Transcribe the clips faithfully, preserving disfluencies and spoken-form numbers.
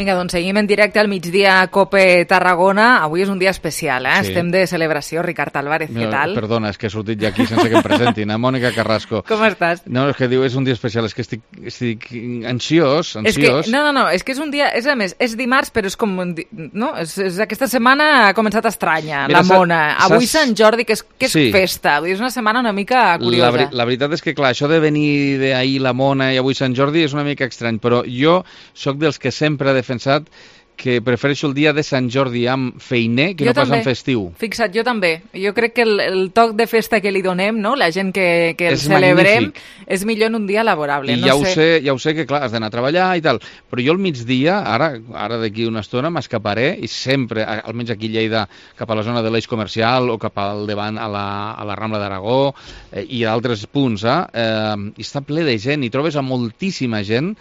Vinga, doncs seguim en directe al migdia a COPE Tarragona. Avui és un dia especial, eh? Sí. Estem de celebració. Ricard Álvarez, què tal? Perdona, és que he sortit ja aquí sense que em presentin. A Mònica Carrasco. Com estàs? No, és que diu, és un dia especial, és que estic, estic ansiós, ansiós. És que, no, no, no, és que és un dia, és a més, és dimarts, però és com, no? És, és aquesta setmana ha començat estranya, Mira, la mona. Avui Sant Jordi, que és, que és sí. festa. Vull dir, és una setmana una mica curiosa. La, la veritat és que, clar, això de venir d'ahir la mona i avui Sant Jordi és una mica estrany, però jo sóc dels que sempre ha defensat que prefereixo el dia de Sant Jordi amb feiner que jo no pas amb festiu. Fixa't, jo també. Jo crec que el, el toc de festa que li donem, no? La gent que, que el és celebrem, magnífic. És millor en un dia laborable. I no ja, sé. Ho sé, ja ho sé que, clar, has d'anar a treballar i tal, però jo al migdia, ara ara d'aquí una estona, m'escaparé i sempre, almenys aquí a Lleida, cap a la zona de l'Eix Comercial o cap al davant a la, a la Rambla d'Aragó eh, i a altres punts, eh, eh, i està ple de gent i trobes a moltíssima gent.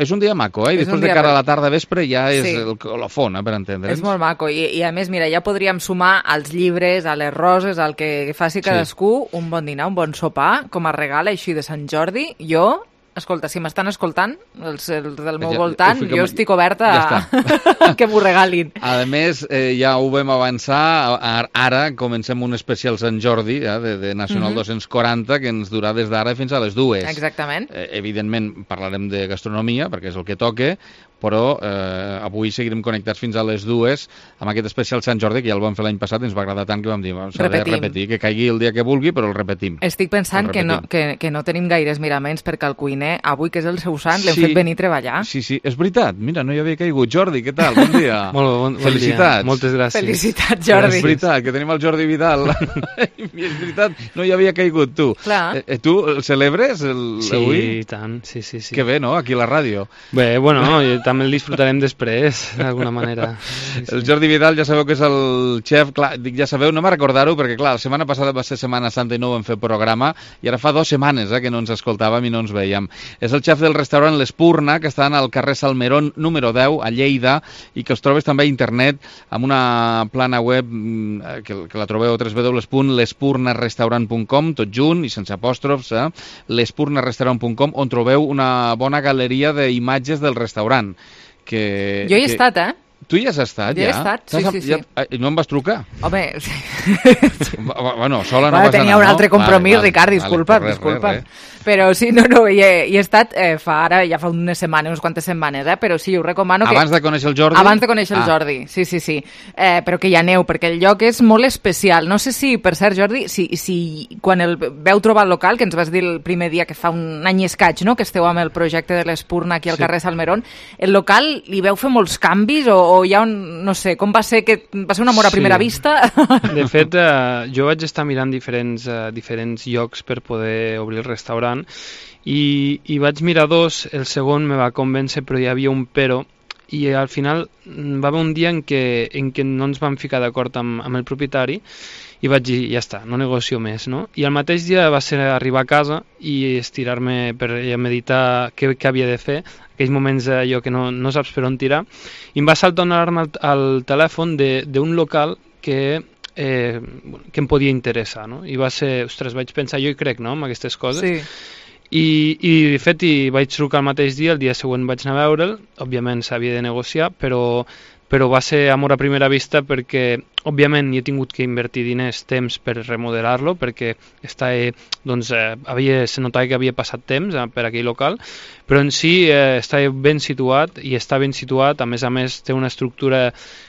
És un dia maco, eh? I després de cara a la tarda vespre ja és sí. el colofon, eh, per entendre'ns. És molt maco. I, I a més, mira, ja podríem sumar als llibres, a les roses, al que faci cadascú, sí. un bon dinar, un bon sopar, com a regal així de Sant Jordi. Jo... Escolta, si m'estan escoltant, els, els del meu ja, voltant, jo estic oberta ja a que m'ho regalin. A més, eh, ja ho vam avançar, ara comencem un especial Sant Jordi eh, de, de Nacional mm-hmm. dos-cents quaranta que ens durà des d'ara fins a les dues. Exactament. Eh, evidentment parlarem de gastronomia, perquè és el que toca, però eh, avui seguirem connectats fins a les dues amb aquest especial Sant Jordi, que ja el vam fer l'any passat i ens va agradar tant que vam dir, s'ha de repetir, que caigui el dia que vulgui, però el repetim. Estic pensant que no, que, que no tenim gaires miraments perquè el cuiner, avui que és el seu sant, l'hem sí, fet venir a treballar. Sí, sí, és veritat. Mira, no hi havia caigut. Jordi, què tal? Bon dia. Molt bon, bon Felicitats. Dia. Moltes gràcies. Felicitats, Jordi. És veritat, que tenim el Jordi Vidal. I és veritat, no hi havia caigut, tu. Clar. Eh, tu el celebres el, sí, avui? Sí, tant. Sí, sí, sí. Que bé, no?, aquí a la ràdio. Bé, bueno, també el disfrutarem després, d'alguna manera. Sí, sí. El Jordi Vidal, ja sabeu que és el xef, clar, dic ja sabeu, no me'n recordar-ho, perquè clar, la setmana passada va ser Setmana Santa i no vam fer programa, i ara fa dues setmanes eh, que no ens escoltàvem i no ens veiem. És el xef del restaurant L'Espurna, que està al carrer Salmerón número deu, a Lleida, i que us trobes també a internet amb una plana web que, que la trobeu a w w w punt l'espurnarestaurant punt com, tot junt i sense apòstrofs, eh? l'espurnarestaurant punt com, on trobeu una bona galeria d'imatges del restaurant. Que, jo hi he que... estat, eh? Tu hi has estat, jo ja? Jo he estat, sí, ja, sí, sí. Ja, no em vas trucar? Home... bueno, sola no bueno, vas tenia anar, un altre no? compromís, vale, Ricard, disculpa, vale, res, disculpa. res, res. Però sí, no, no, hi he, hi he estat eh, fa ara, ja fa unes setmanes, unes quantes setmanes, eh? Però sí, us recomano que... Abans de conèixer el Jordi? Abans de conèixer el ah. Jordi, sí, sí, sí. Eh, però que hi aneu, perquè el lloc és molt especial. No sé si, per cert, Jordi, si, si quan el veu trobar el local, que ens vas dir el primer dia que fa un any i escaig, no?, que esteu amb el projecte de l'Espurna aquí al sí. carrer Salmerón, el local li veu fer molts canvis o, o hi ha un, no sé, com va ser que va ser un amor a primera sí. vista? De fet, eh, jo vaig estar mirant diferents, eh, diferents llocs per poder obrir el restaurant i, i vaig mirar dos, el segon me va convèncer però hi havia un però i al final va haver un dia en què, en què no ens vam ficar d'acord amb, amb el propietari i vaig dir, ja està, no negocio més, no? I el mateix dia va ser arribar a casa i estirar-me per meditar què, què havia de fer, aquells moments allò que no, no saps per on tirar, i em va saltar una alarma al, al telèfon d'un local que, eh, que em podia interessar, no? I va ser, ostres, vaig pensar, jo hi crec, no?, amb aquestes coses. Sí. I, i de fet hi vaig trucar el mateix dia, el dia següent vaig anar a veure'l, òbviament s'havia de negociar, però però va ser amor a primera vista perquè, òbviament, hi he tingut que invertir diners, temps per remodelar-lo, perquè està, eh, doncs, eh, havia, se notava que havia passat temps eh, per aquell local, però en si eh, està ben situat i està ben situat, a més a més té una estructura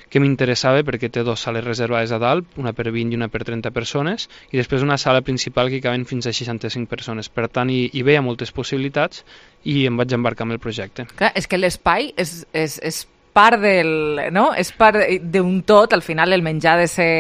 que m'interessava perquè té dues sales reservades a dalt, una per vint i una per trenta persones, i després una sala principal que caben fins a seixanta-cinc persones. Per tant, hi, hi veia moltes possibilitats i em vaig embarcar amb el projecte. Clar, és que l'espai és, és, és part del, no? És part d'un tot, al final el menjar ha de ser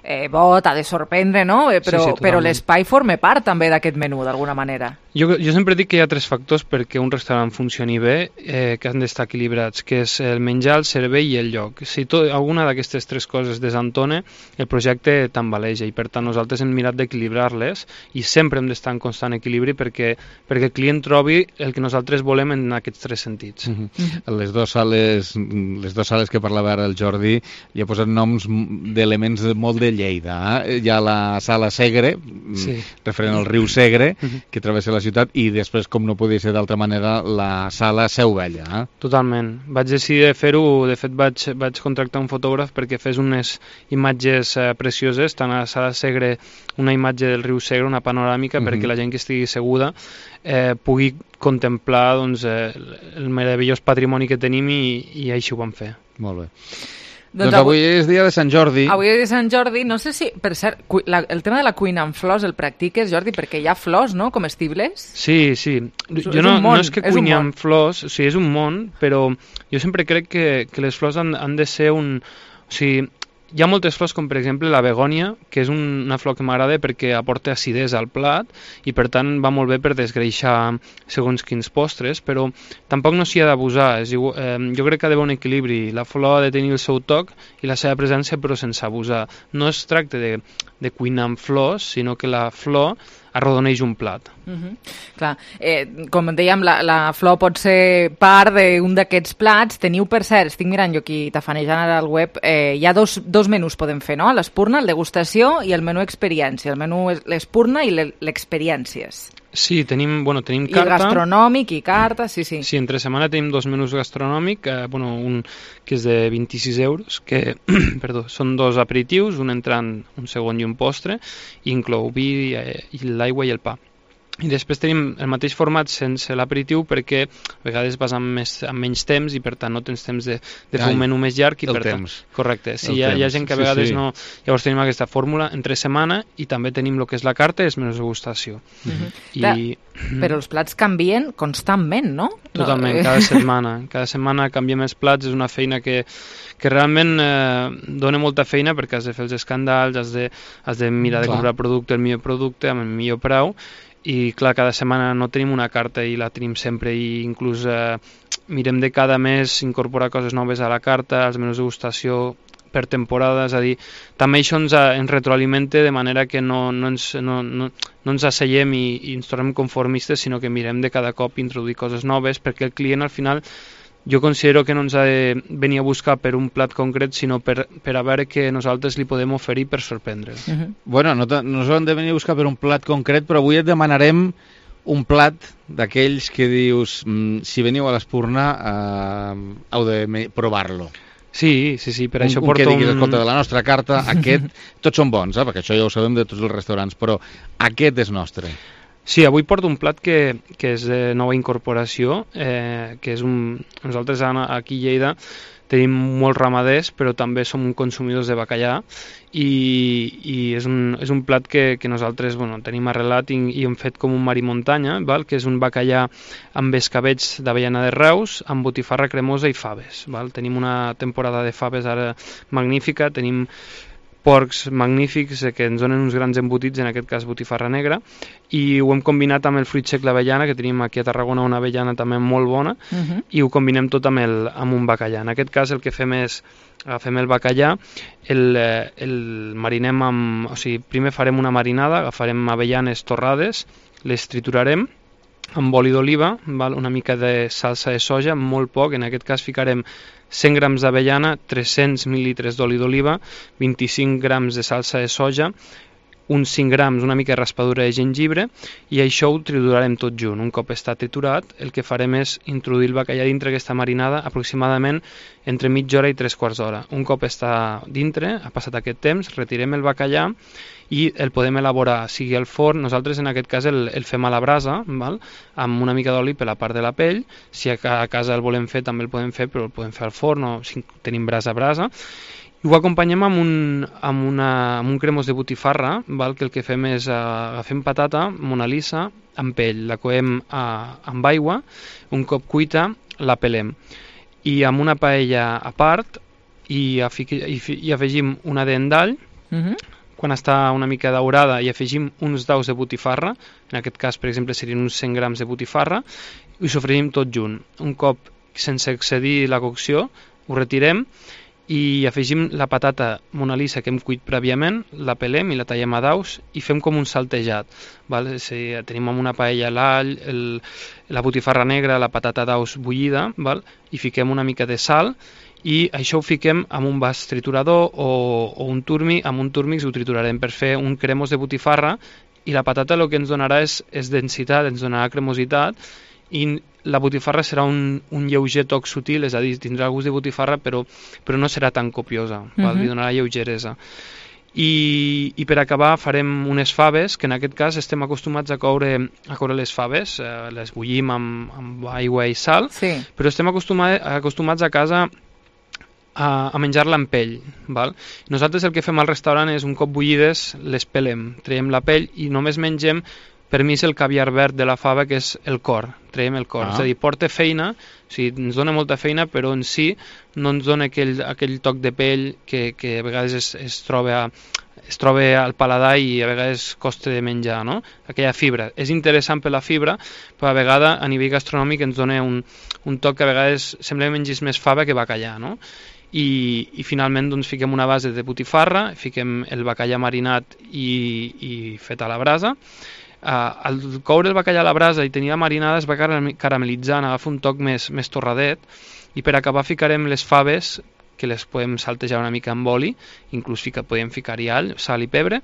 eh, bo, ha de sorprendre, no? Però, sí, sí, però l'espai forma part també d'aquest menú, d'alguna manera. Jo, jo sempre dic que hi ha tres factors perquè un restaurant funcioni bé, eh, que han d'estar equilibrats, que és el menjar, el servei i el lloc. Si tot, alguna d'aquestes tres coses desentona, el projecte tambaleja i per tant nosaltres hem mirat d'equilibrar-les i sempre hem d'estar en constant equilibri perquè, perquè el client trobi el que nosaltres volem en aquests tres sentits. Uh-huh. Uh-huh. Les dues sales, les dues sales que parlava ara el Jordi li ha posat noms d'elements molt de Lleida. Eh? Hi ha la sala Segre, sí. referent al riu Segre, uh-huh. que travessa la la ciutat i després, com no podia ser d'altra manera, la sala Seu Vella. Eh? Totalment. Vaig decidir de fer-ho, de fet vaig, vaig contractar un fotògraf perquè fes unes imatges eh, precioses, tant a la sala Segre una imatge del riu Segre, una panoràmica, uh-huh. perquè la gent que estigui seguda eh, pugui contemplar doncs, eh, el meravellós patrimoni que tenim i, i així ho vam fer. Molt bé. Doncs, doncs avui, avui és dia de Sant Jordi. Avui és dia de Sant Jordi. No sé si, per cert, la, el tema de la cuina amb flors el practiques, Jordi, perquè hi ha flors, no?, comestibles. Sí, sí. És, jo és no, món, no és que és cuini amb flors, o sigui, és un món, però jo sempre crec que, que les flors han, han de ser un... O sigui, hi ha moltes flors, com per exemple la begònia, que és un, una flor que m'agrada perquè aporta acidesa al plat i per tant va molt bé per desgreixar segons quins postres, però tampoc no s'hi ha d'abusar. Eh, jo crec que ha d'haver un equilibri. La flor ha de tenir el seu toc i la seva presència, però sense abusar. No es tracta de, de cuinar amb flors, sinó que la flor arrodoneix un plat. Uh-huh. Clar, eh, com dèiem, la, la flor pot ser part d'un d'aquests plats. Teniu, per cert, estic mirant jo aquí tafanejant ara al web, eh, hi ha dos, dos menús podem fer, no? L'espurna, el degustació i el menú experiència. El menú és l'espurna i l'experiències. Sí, tenim, bueno, tenim carta. I gastronòmic i carta, sí, sí. Sí, entre setmana tenim dos menús gastronòmics, eh, bueno, un que és de vint-i-sis euros, que perdó, són dos aperitius, un entrant, un segon i un postre, i inclou vi, eh, i l'aigua i el pa. I després tenim el mateix format sense l'aperitiu perquè a vegades vas amb, més, amb menys temps i per tant no tens temps de, de fer Ai, un menú més llarg. I el per temps. Tant, correcte. Sí, hi ha, temps. hi ha gent que a vegades sí, sí. no... Llavors tenim aquesta fórmula entre setmana i també tenim el que és la carta i els menús de degustació. Uh-huh. I... Clar, però els plats canvien constantment, no? Totalment, cada setmana. Cada setmana canviem els plats, és una feina que, que realment eh, dona molta feina perquè has de fer els escandals, has de, has de mirar de Clar. comprar producte, el millor producte, amb el millor preu. I clar, cada setmana no tenim una carta i la tenim sempre i inclús eh, mirem de cada mes incorporar coses noves a la carta, als menús de degustació per temporada, és a dir, també això ens, ens retroalimenta de manera que no, no, ens, no, no, no ens asseiem i, i ens tornem conformistes, sinó que mirem de cada cop introduir coses noves perquè el client al final jo considero que no ens ha de venir a buscar per un plat concret, sinó per, per a veure què nosaltres li podem oferir per sorprendre'l. Uh-huh. Bueno, no, no s'ho han de venir a buscar per un plat concret, però avui et demanarem un plat d'aquells que dius, mm, si veniu a l'Espurna, eh, heu de provar-lo. Sí, sí, sí, per un, això un porto que diguis, un... escolta, de la nostra carta, aquest, tots són bons, eh, perquè això ja ho sabem de tots els restaurants, però aquest és nostre. Sí, avui porto un plat que, que és de nova incorporació, eh, que és un... Nosaltres aquí a Lleida tenim molts ramaders, però també som consumidors de bacallà i, i és, un, és un plat que, que nosaltres bueno, tenim arrelat i, i hem fet com un mar i muntanya, val? Que és un bacallà amb escabets d'avellana de Reus, amb botifarra cremosa i faves. Val? Tenim una temporada de faves ara magnífica, tenim porcs magnífics que ens donen uns grans embotits, en aquest cas botifarra negra, i ho hem combinat amb el fruit sec l'avellana, que tenim aquí a Tarragona una avellana també molt bona, uh-huh. i ho combinem tot amb, el, amb un bacallà. En aquest cas el que fem és, agafem el bacallà, el, el marinem amb... O sigui, primer farem una marinada, agafarem avellanes torrades, les triturarem, amb oli d'oliva, una mica de salsa de soja, molt poc, en aquest cas ficarem cent grams d'avellana, tres-cents mil·lilitres d'oli d'oliva, vint-i-cinc grams de salsa de soja, uns cinc grams, una mica de raspadura de gengibre, i això ho triturarem tot junt. Un cop està triturat, el que farem és introduir el bacallà dintre aquesta marinada aproximadament entre mitja hora i tres quarts d'hora. Un cop està dintre, ha passat aquest temps, retirem el bacallà i el podem elaborar, sigui al forn, nosaltres en aquest cas el, el fem a la brasa, val? Amb una mica d'oli per la part de la pell, si a casa el volem fer també el podem fer, però el podem fer al forn o si tenim brasa a brasa, i ho acompanyem amb un, amb una, amb un cremós de botifarra, val? Que el que fem és uh, agafem patata, Mona Lisa, amb pell, la coem uh, amb aigua, un cop cuita la pelem, i amb una paella a part i, afic, i, i afegim una dent d'all, uh-huh. Quan està una mica daurada i afegim uns daus de botifarra, en aquest cas per exemple serien uns cent grams de botifarra, i ho sofregim tot junt. Un cop sense excedir la cocció ho retirem i afegim la patata Mona Lisa que hem cuit prèviament, la pelem i la tallem a daus i fem com un saltejat, val? Si tenim amb una paella l'all, el, la botifarra negra, la patata daus bullida, val? I fiquem una mica de sal i això ho fiquem amb un vas triturador o, o un turmi, amb un turmix ho triturarem per fer un cremós de botifarra i la patata el que ens donarà és, és densitat, ens donarà cremositat, i la botifarra serà un, un lleuger toc sutil, és a dir, tindrà el gust de botifarra, però, però no serà tan copiosa, uh-huh. val? Li donarà lleugeresa. I, i per acabar farem unes faves, que en aquest cas estem acostumats a coure, a coure les faves, eh, les bullim amb, amb aigua i sal, sí. però estem acostumats, acostumats a casa a, a menjar-la amb pell. Val? Nosaltres el que fem al restaurant és, un cop bullides, les pelem, traiem la pell i només mengem per mi és el caviar verd de la fava, que és el cor, traiem el cor. Ah. És a dir, porta feina, o sigui, ens dona molta feina, però en si no ens dona aquell, aquell toc de pell que, que a vegades es, es, troba, es troba al paladar i a vegades costa de menjar, no? Aquella fibra. És interessant per la fibra, però a vegades a nivell gastronòmic ens dona un, un toc que a vegades sembla que mengis més fava que bacallà, no? I, i finalment doncs, fiquem una base de botifarra, fiquem el bacallà marinat i, i fet a la brasa. Uh, al coure el bacallà a la brasa i tenir la marinada es va caramelitzant, agafa un toc més, més torradet, i per acabar ficarem les faves, que les podem saltejar una mica amb oli, inclús fica, podem ficar-hi all, sal i pebre,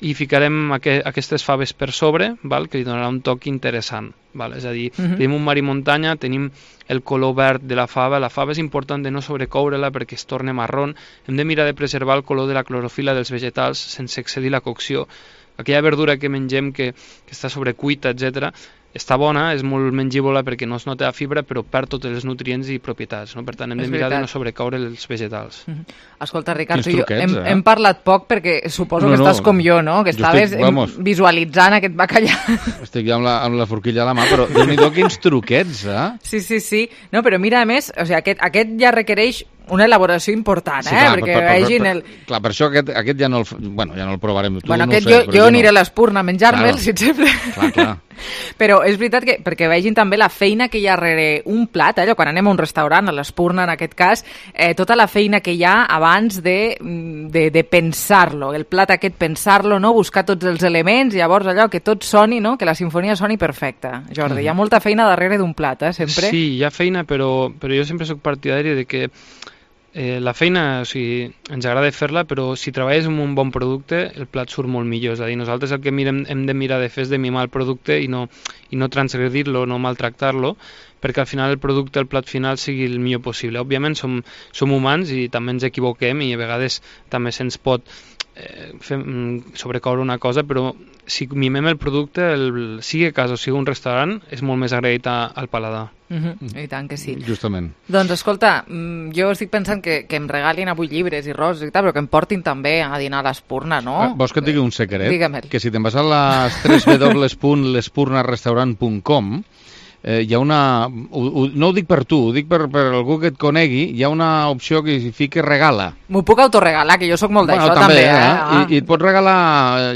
i ficarem aqu aquestes faves per sobre, val? Que li donarà un toc interessant. Val? És a dir, uh-huh. tenim un mar i muntanya, tenim el color verd de la fava, la fava és important de no sobrecoure-la perquè es torna marrón, hem de mirar de preservar el color de la clorofila dels vegetals sense excedir la cocció. Aquella verdura que mengem que, que està sobrecuita, etcètera, està bona, és molt mengívola perquè no es nota la fibra, però perd tots els nutrients i propietats, no? Per tant, hem és de mirar veritat. de no sobrecaure els vegetals. Mm-hmm. Escolta, Ricard, tu jo hem, eh? hem parlat poc perquè suposo no, que estàs no, com jo, no? Que estaves estic, visualitzant aquest bacallà. Estic ja amb la, amb la forquilla a la mà, però déu-n'hi-do quins truquets, eh? Sí, sí, sí. No, però mira, a més, o sigui, aquest, aquest ja requereix una elaboració important, sí, eh? Clar, perquè per, per, vegin el... Clar, per això aquest, aquest ja, no el, bueno, ja no el provarem. Tu bueno, no aquest sé, jo, jo aniré no. a l'Espurna a menjar-me'l, claro. si et sembla. Clar, clar. Però és veritat que, perquè vegin també la feina que hi ha darrere un plat, allò, quan anem a un restaurant, a l'Espurna en aquest cas, eh, tota la feina que hi ha abans de, de, de pensar-lo, el plat aquest pensar-lo, no? Buscar tots els elements, llavors allò, que tot soni, no? Que la sinfonia soni perfecta. Jordi, mm. hi ha molta feina darrere d'un plat, eh, sempre. Sí, hi ha feina, però, però jo sempre soc partidari de que Eh, la feina, o sigui, ens agrada fer-la, però si treballes amb un bon producte, el plat surt molt millor. És a dir, nosaltres el que mirem, hem de mirar de fer és de mimar el producte i no, i no transgredir-lo, no maltractar-lo, perquè al final el producte, el plat final, sigui el millor possible. Òbviament som, som humans i també ens equivoquem i a vegades també se'ns pot eh, fer, sobrecoure una cosa, però si mimem el producte, el, sigui a casa o sigui un restaurant, és molt més agraït al paladar. Uh-huh. I tant que sí. Justament. Doncs escolta, jo estic pensant que, que em regalin avui llibres i roses i tal, però que em portin també a dinar a l'Espurna, no? Ah, vols que et digui un secret? Digue'm-el. Que si te'n vas a les w w w punt l'espurnarestaurant punt com eh, hi ha una... Ho, ho, no ho dic per tu, ho dic per, per algú que et conegui, hi ha una opció que hi fica regala. M'ho puc autorregalar, que jo sóc molt bueno, d'això també, també. Eh? eh? Ah. I, I et pots regalar,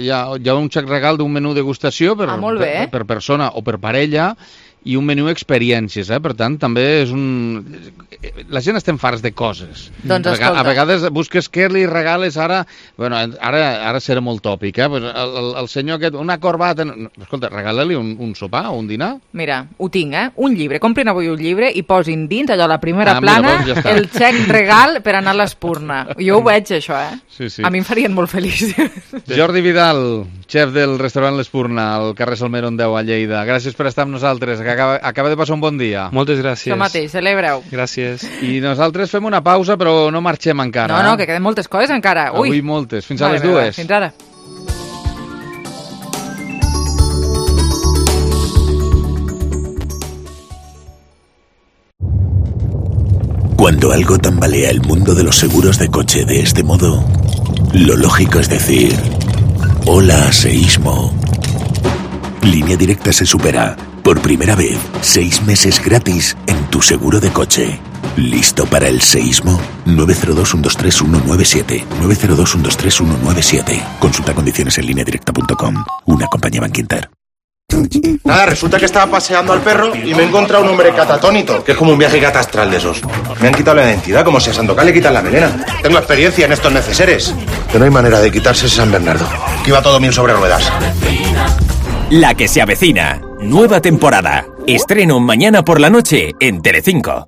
hi ha, hi ha un xec regal d'un menú degustació per, ah, molt bé. per, per persona o per parella, i un menú experiències, eh? Per tant, també és un... La gent estem farts de coses. Doncs escolta. A vegades busques què li regales ara... Bueno, ara, ara serà molt tòpic, eh? El, el, el senyor aquest, una corbata... Escolta, regala-li un, un sopar o un dinar. Mira, ho tinc, eh? Un llibre. Comprin avui un llibre i posin dins, allò, la primera ah, plana, mira, ja el xec regal per anar a l'Espurna. Jo ho veig, això, eh? Sí, sí. A mi em farien molt feliç. Jordi Vidal, xef del restaurant l'Espurna, al carrer Salmeron deu a Lleida. Gràcies per estar amb nosaltres. Que acaba, acaba de passar un bon dia. Moltes gràcies. Això mateix, celebreu. Gràcies. I nosaltres fem una pausa, però no marxem encara. No, no, que queden moltes coses encara. Ui. Avui moltes. Fins vale, a les dues. Vale, fins ara. Cuando algo tambalea el mundo de los seguros de coche de este modo, lo lógico es decir: hola, seísmo. Línea Directa se supera. Por primera vez, seis meses gratis en tu seguro de coche. ¿Listo para el seísmo? nueve cero dos, uno dos tres, uno nueve siete. nueve cero dos, uno dos tres, uno nueve siete. Consulta condiciones en línea directa punto com. Una compañía Bankinter. Nada, resulta que estaba paseando al perro y me he encontrado un hombre catatónico, que es como un viaje catastral de esos. Me han quitado la identidad, como si a Sandokan le quitan la melena. Tengo experiencia en estos neceseres. Que no hay manera de quitarse ese San Bernardo. Que iba todo mil sobre ruedas. La que se avecina. Nueva temporada. Estreno mañana por la noche en Telecinco.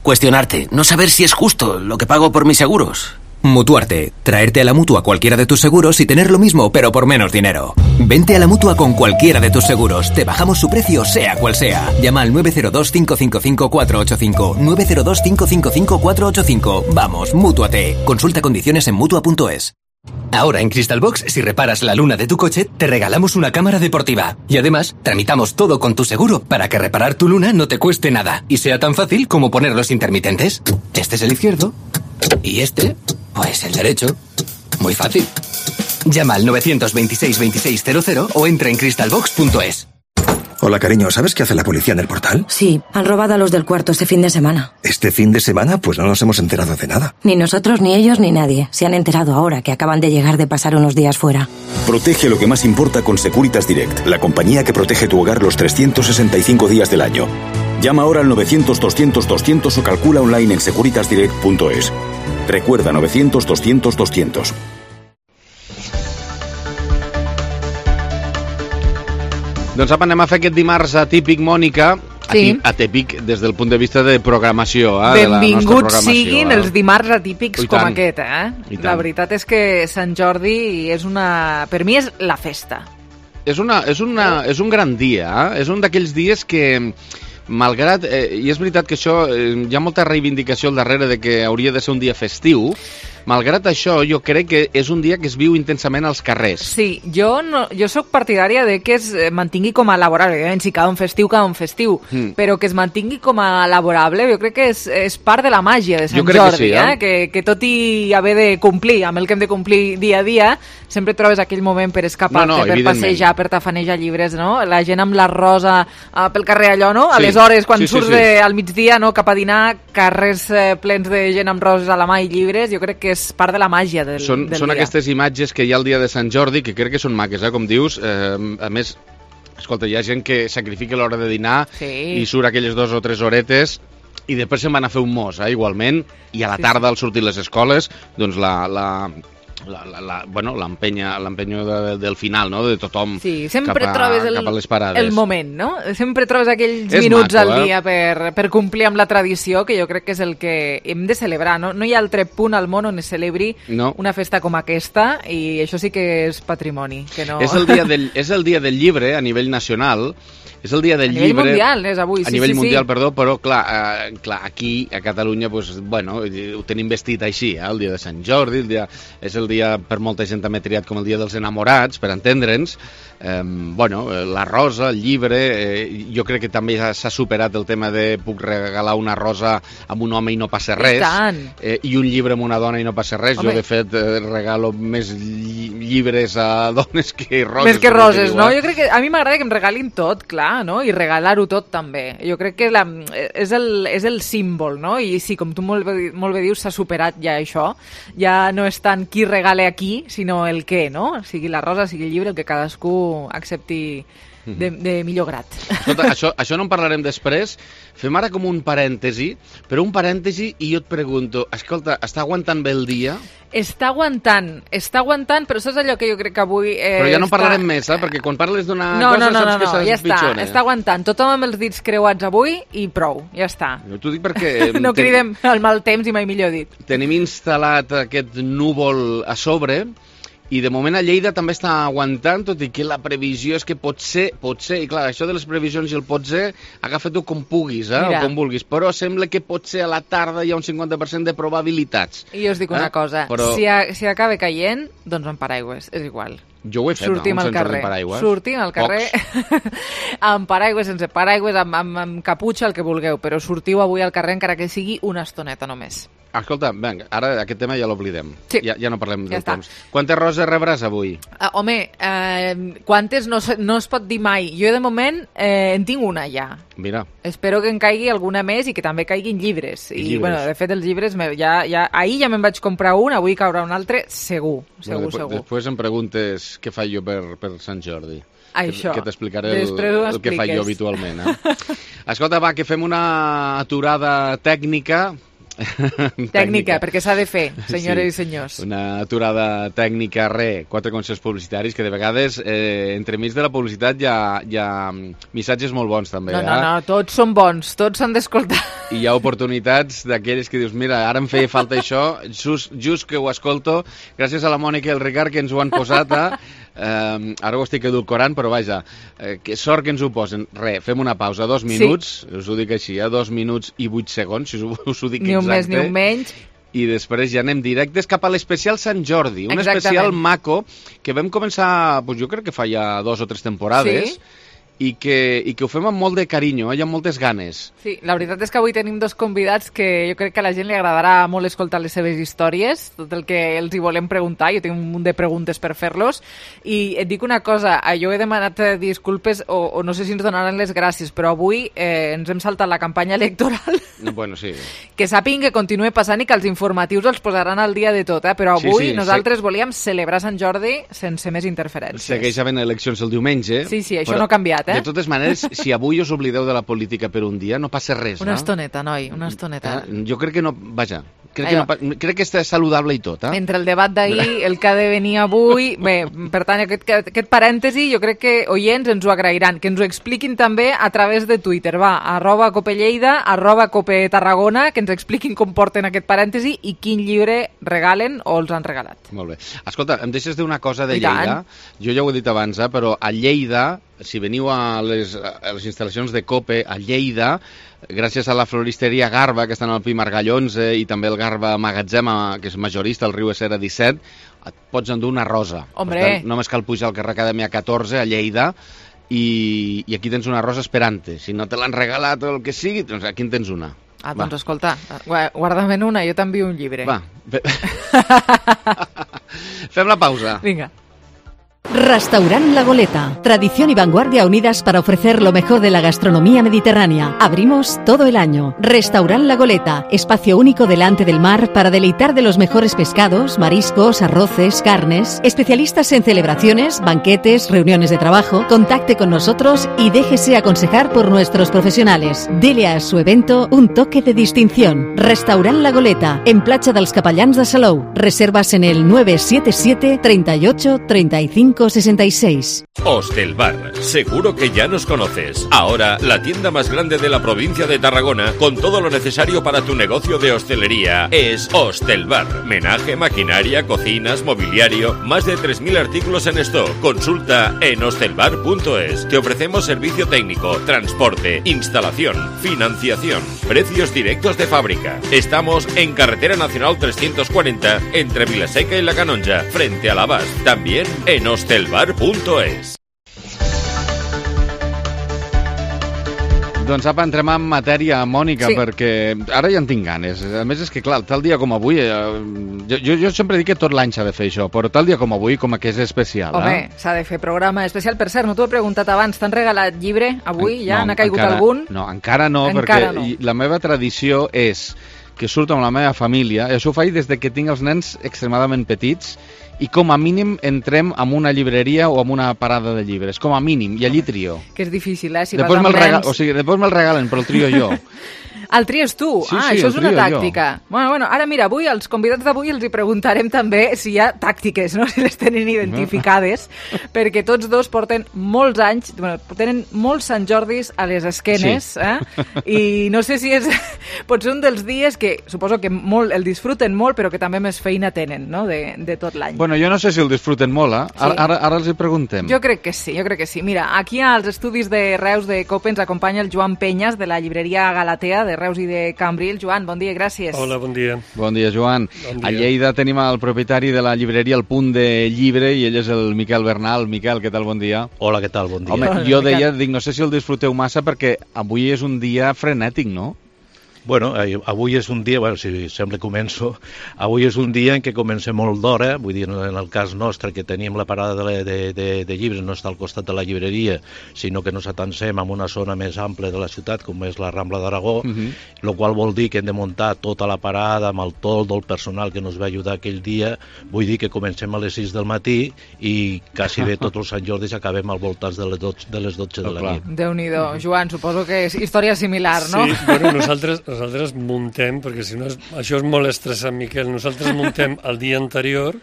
Cuestionarte, no saber si es justo lo que pago por mis seguros. Mutuarte. Traerte a la Mutua cualquiera de tus seguros y tener lo mismo, pero por menos dinero. Vente a la Mutua con cualquiera de tus seguros. Te bajamos su precio, sea cual sea. Llama al nueve cero dos, cinco cinco cinco, cuatro ocho cinco. nueve cero dos, cinco cinco cinco, cuatro ocho cinco. Vamos, Mútuate. Consulta condiciones en Mutua punto es. Ahora en Crystal Box, si reparas la luna de tu coche, te regalamos una cámara deportiva. Y además, tramitamos todo con tu seguro para que reparar tu luna no te cueste nada y sea tan fácil como poner los intermitentes. Este es el izquierdo y este, pues el derecho. Muy fácil. Llama al nueve dos seis, veintiséis cero cero o entra en crystal box punto es. Hola, cariño, ¿sabes qué hace la policía en el portal? Sí, han robado a los del cuarto este fin de semana. ¿Este fin de semana? Pues no nos hemos enterado de nada. Ni nosotros, ni ellos, ni nadie. Se han enterado ahora que acaban de llegar de pasar unos días fuera. Protege lo que más importa con Securitas Direct, la compañía que protege tu hogar los trescientos sesenta y cinco días del año. Llama ahora al novecientos, doscientos, doscientos o calcula online en securitas direct punto es. Recuerda novecientos, doscientos, doscientos. Doncs apa, anem a fer aquest dimarts atípic, Mònica, Sí. atípic des del punt de vista de programació. Eh, Benvinguts siguin els dimarts atípics I com tant. aquest, eh? I tant. La veritat és que Sant Jordi és una... Per mi és la festa. És, una, és, una, és un gran dia, eh? És un d'aquells dies que, malgrat... Eh, I és veritat que això, eh, hi ha molta reivindicació al darrere de que hauria de ser un dia festiu. Malgrat això, jo crec que és un dia que es viu intensament als carrers. Sí, jo, no, jo sóc partidària de que es mantingui com a laborable. Evidentment, si cada un festiu, cada un festiu. Mm. Però que es mantingui com a laborable, jo crec que és, és part de la màgia de Sant Jo crec Jordi. que sí, eh? eh? Que, que tot i haver de complir amb el que hem de complir dia a dia, sempre trobes aquell moment per escapar-te, No, no, per evidentment. passejar, per tafanejar llibres, no? La gent amb la rosa uh, pel carrer allò, no? Sí. Aleshores, quan Sí, sí, surts sí. De, al migdia, no? Cap a dinar, carrers eh, plens de gent amb roses a la mà i llibres, jo crec que és part de la màgia del, Són, del són dia. aquestes imatges que hi ha el dia de Sant Jordi, que crec que són maques, eh, com dius. Eh, a més, escolta, hi ha gent que sacrifica l'hora de dinar Sí. i surt aquelles dues o tres horetes i després se'n van a fer un mos, eh, igualment, i a la Sí, tarda, al sortir les escoles, doncs la... la La, la, la, bueno, l'empenya l'empenyo de, del final, no? De tothom Sí, sempre cap a, trobes el, cap a les parades. el moment, no? Sempre trobes aquells És minuts maco, al eh? dia per, per complir amb la tradició, que jo crec que és el que hem de celebrar, no? No hi ha altre punt al món on es celebri No. una festa com aquesta, i això sí que és patrimoni. Que no... És el dia del, és el dia del llibre a nivell nacional, és el dia del A nivell llibre... mundial, és avui, A sí, nivell sí, mundial, sí. perdó, però clar, eh, clar, aquí a Catalunya, pues, bueno, ho tenim vestit així, eh, el dia de Sant Jordi, el dia, és el dia, per molta gent també triat com el dia dels enamorats, per entendre'ns. Eh, bueno, la rosa, el llibre, eh, jo crec que també ja s'ha superat el tema de puc regalar una rosa a un home i no passa res, I tant. eh, i un llibre a una dona i no passa res. Home. Jo, de fet, eh, regalo més lli llibres a dones que roses. Més que com roses, diu, no? eh? Jo crec que a mi m'agrada que em regalin tot, clar, no? I regalar-ho tot també. Jo crec que la, és, el, és el símbol, no? I sí, com tu molt bé, molt bé dius, s'ha superat ja això. Ja no és tant qui regale a qui, sinó el què, no? Sigui la rosa, sigui el llibre, el que cadascú accepti de, de millor grat. Escolta, això, això no en parlarem després. Fem ara com un parèntesi, però un parèntesi i jo et pregunto, escolta, està aguantant bé el dia? Està aguantant, està aguantant, però saps allò que jo crec que avui... Eh, Però ja no està... parlarem més, eh? Perquè quan parles d'una no, cosa no, no, saps no, que no, s'ha ja està, pitjor. està aguantant. Tothom amb els dits creuats avui i prou, ja està. Jo t'ho dic perquè... No ten- cridem el mal temps i mai millor dit. Tenim instal·lat aquest núvol a sobre i de moment a Lleida també està aguantant, tot i que la previsió és que potser, potser, i clar, això de les previsions i el potser, agafa-t'ho com puguis, eh, Mira. o com vulguis, però sembla que potser a la tarda hi ha un cinquanta per cent de probabilitats. I jo us dic una Eh? cosa, Però- si, a, si acaba caient, doncs amb paraigües, és igual. Jo ho he fet, Sortim no? al Sense carrer, paraigües. sortim al carrer amb paraigües, sense paraigües, amb, amb, amb caputxa, el que vulgueu, però sortiu avui al carrer encara que sigui una estoneta només. Escolta, vinga, ara aquest tema ja l'oblidem. Sí. Ja, ja no parlem Ja del està. temps. Quantes roses rebràs avui? Uh, home, eh, quantes no, se- no es pot dir mai. Jo de moment eh, en tinc una ja. Mira, Espero que en caigui alguna més i que també caiguin llibres. I, Llibres. bueno, de fet, els llibres, me, ja, ja, ahir ja me'n vaig comprar un, avui caurà un altre, segur, segur, bueno, després, segur. després em preguntes què faig jo per, per Sant Jordi. Això. Que t'explicaré el, Després ho el que faig jo expliques. habitualment. Eh? Escolta, va, que fem una aturada tècnica Tècnica, perquè s'ha de fer, senyores Sí. i senyors. Una aturada tècnica, re, quatre consells publicitaris, que de vegades, eh, entremig de la publicitat, hi ha, hi ha missatges molt bons, també. No, eh? no, no, tots són bons, tots s'han d'escoltar. I hi ha oportunitats d'aquelles que dius, mira, ara em feia falta això, just, just que ho escolto, gràcies a la Mònica i el Ricard que ens ho han posat, a, eh, ara ho estic edulcorant, però vaja, eh, que sort que ens ho posen. Re, fem una pausa, dos minuts, sí. Us ho dic així, eh, dos minuts i vuit segons, si us, us ho dic Ni un exacte. més ni un menys. I després ja anem directes cap a l'especial Sant Jordi, un Exactament. especial maco que vam començar, doncs jo crec que fa ja dos o tres temporades, Sí. i que, i que ho fem amb molt de carinyo, eh? Hi ha moltes ganes. Sí, la veritat és que avui tenim dos convidats que jo crec que a la gent li agradarà molt escoltar les seves històries, tot el que els hi volem preguntar, jo tinc un munt de preguntes per fer-los, i et dic una cosa, jo he demanat eh, disculpes, o, o no sé si ens donaran les gràcies, però avui eh, ens hem saltat la campanya electoral, Bueno, sí. que sàpiguen que continue passant i que els informatius els posaran al dia de tot, eh? Però Sí, avui sí, nosaltres volíem celebrar Sant Jordi sense més interferències. Segueix havent eleccions el diumenge. Sí, sí, això però, no ha canviat, eh? De totes maneres, si avui us oblideu de la política per un dia, no passa res, Una no? estoneta, noi, una estoneta. Eh? Jo crec que no... Vaja, crec que, Allò. no, pa- crec que està saludable i tot, eh? Entre el debat d'ahir, el que ha de venir avui... Bé, per tant, aquest, aquest parèntesi jo crec que oients ens ho agrairan, que ens ho expliquin també a través de Twitter. Va, arroba Copelleida, arroba Cope Tarragona, que ens expliquin com porten aquest parèntesi i quin llibre regalen o els han regalat. Molt bé. Escolta, em deixes dir una cosa de I tant. Lleida? Jo ja ho he dit abans, eh, però a Lleida, si veniu a les, a les instal·lacions de Cope, a Lleida, gràcies a la floristeria Garba, que està en el Pi Margall onze, i també el Garba Magatzema, que és majorista, al riu Essera disset, et pots endur una rosa. Hombre. Per tant, només cal pujar al carrer Acadèmia catorze, a Lleida, i, i aquí tens una rosa esperant-te. Si no te l'han regalat o el que sigui, doncs aquí en tens una. Ah, doncs escolta, gua- guarda-me'n una, jo t'envio un llibre. Va. Fe- Fem la pausa. Vinga. Restaurant La Goleta. Tradición y vanguardia unidas para ofrecer lo mejor de la gastronomía mediterránea. Abrimos todo el año. Restaurant La Goleta. Espacio único delante del mar para deleitar de los mejores pescados, mariscos, arroces, carnes. Especialistas en celebraciones, banquetes, reuniones de trabajo. Contacte con nosotros y déjese aconsejar por nuestros profesionales. Dele a su evento un toque de distinción. Restaurant La Goleta. En Platja dels Capellans de Salou. Reservas en el nueve siete siete, treinta y ocho, treinta y cinco, sesenta y seis. Hostelbar, seguro que ya nos conoces. Ahora, la tienda más grande de la provincia de Tarragona, con todo lo necesario para tu negocio de hostelería, es Hostelbar. Menaje, maquinaria, cocinas, mobiliario, más de tres mil artículos en stock. Consulta en hostelbar punto es. Te ofrecemos servicio técnico, transporte, instalación, financiación, precios directos de fábrica. Estamos en Carretera Nacional trescientos cuarenta, entre Vilaseca y La Canonja, frente a la Bas. También en hostelbar punto es. Doncs apa, entrem en matèria, Mònica, Sí. perquè ara ja en tinc ganes. A més, és que clar, tal dia com avui, eh, jo, jo sempre dic que tot l'any s'ha de fer això, però tal dia com avui, com que és especial. Home, eh? s'ha de fer programa especial. Per cert, no t'ho he preguntat abans, t'han regalat llibre avui? Ja No, n'ha caigut encara, algun? No, encara no, Encara perquè no. i- la meva tradició és que surto amb la meva família, i això ho faig des de que tinc els nens extremadament petits, i com a mínim entrem en una llibreria o en una parada de llibres, com a mínim, i allí trio. Que és difícil, eh? Si Després vas me'l amb rega... nens... o sigui, després me'l regalen, però el trio jo. El tries tu? Sí, ah, sí, això el és una trio jo. tàctica. Bueno, bueno, ara mira, avui, als convidats d'avui els hi preguntarem també si hi ha tàctiques, no? Si les tenen identificades, perquè tots dos porten molts anys, bueno, tenen molts Sant Jordis a les esquenes, Sí. eh? I no sé si és... pot ser un dels dies que suposo que molt, el disfruten molt, però que també més feina tenen, no?, de, de tot l'any. Bueno, jo no sé si el disfruten molt, eh? Ara, Sí. ara, ara els hi preguntem. Jo crec que sí, jo crec que sí. Mira, aquí als estudis de Reus de Cope ens acompanya el Joan Penyes, de la llibreria Galatea, de Reus i de Cambril. Joan, bon dia, gràcies. Hola, bon dia. Bon dia, Joan. Bon dia. A Lleida tenim el propietari de la llibreria El Punt de Llibre, i ell és el Miquel Bernal. Miquel, què tal? Bon dia. Hola, què tal? Bon dia. Home, Hola, jo Miquel. deia, dic, no sé si el disfruteu massa perquè avui és un dia frenètic, no? Bueno, eh, avui és un dia, bueno, si sempre començo, avui és un dia en què comencem molt d'hora, vull dir, en el cas nostre, que tenim la parada de, de, de, de llibres, no està al costat de la llibreria, sinó que nos atansem en una zona més àmplia de la ciutat, com és la Rambla d'Aragó, Uh -huh. el qual vol dir que hem de muntar tota la parada amb el toldo, el personal que ens va ajudar aquell dia, vull dir que comencem a les sis del matí i quasi bé tots els Sant Jordis acabem al voltant de les dotze de, les dotze de la nit. Déu-n'hi-do. Joan, suposo que és història similar, no? Sí, bueno, nosaltres, nosaltres muntem, perquè si no és, això és molt estressant, Miquel, nosaltres muntem el dia anterior,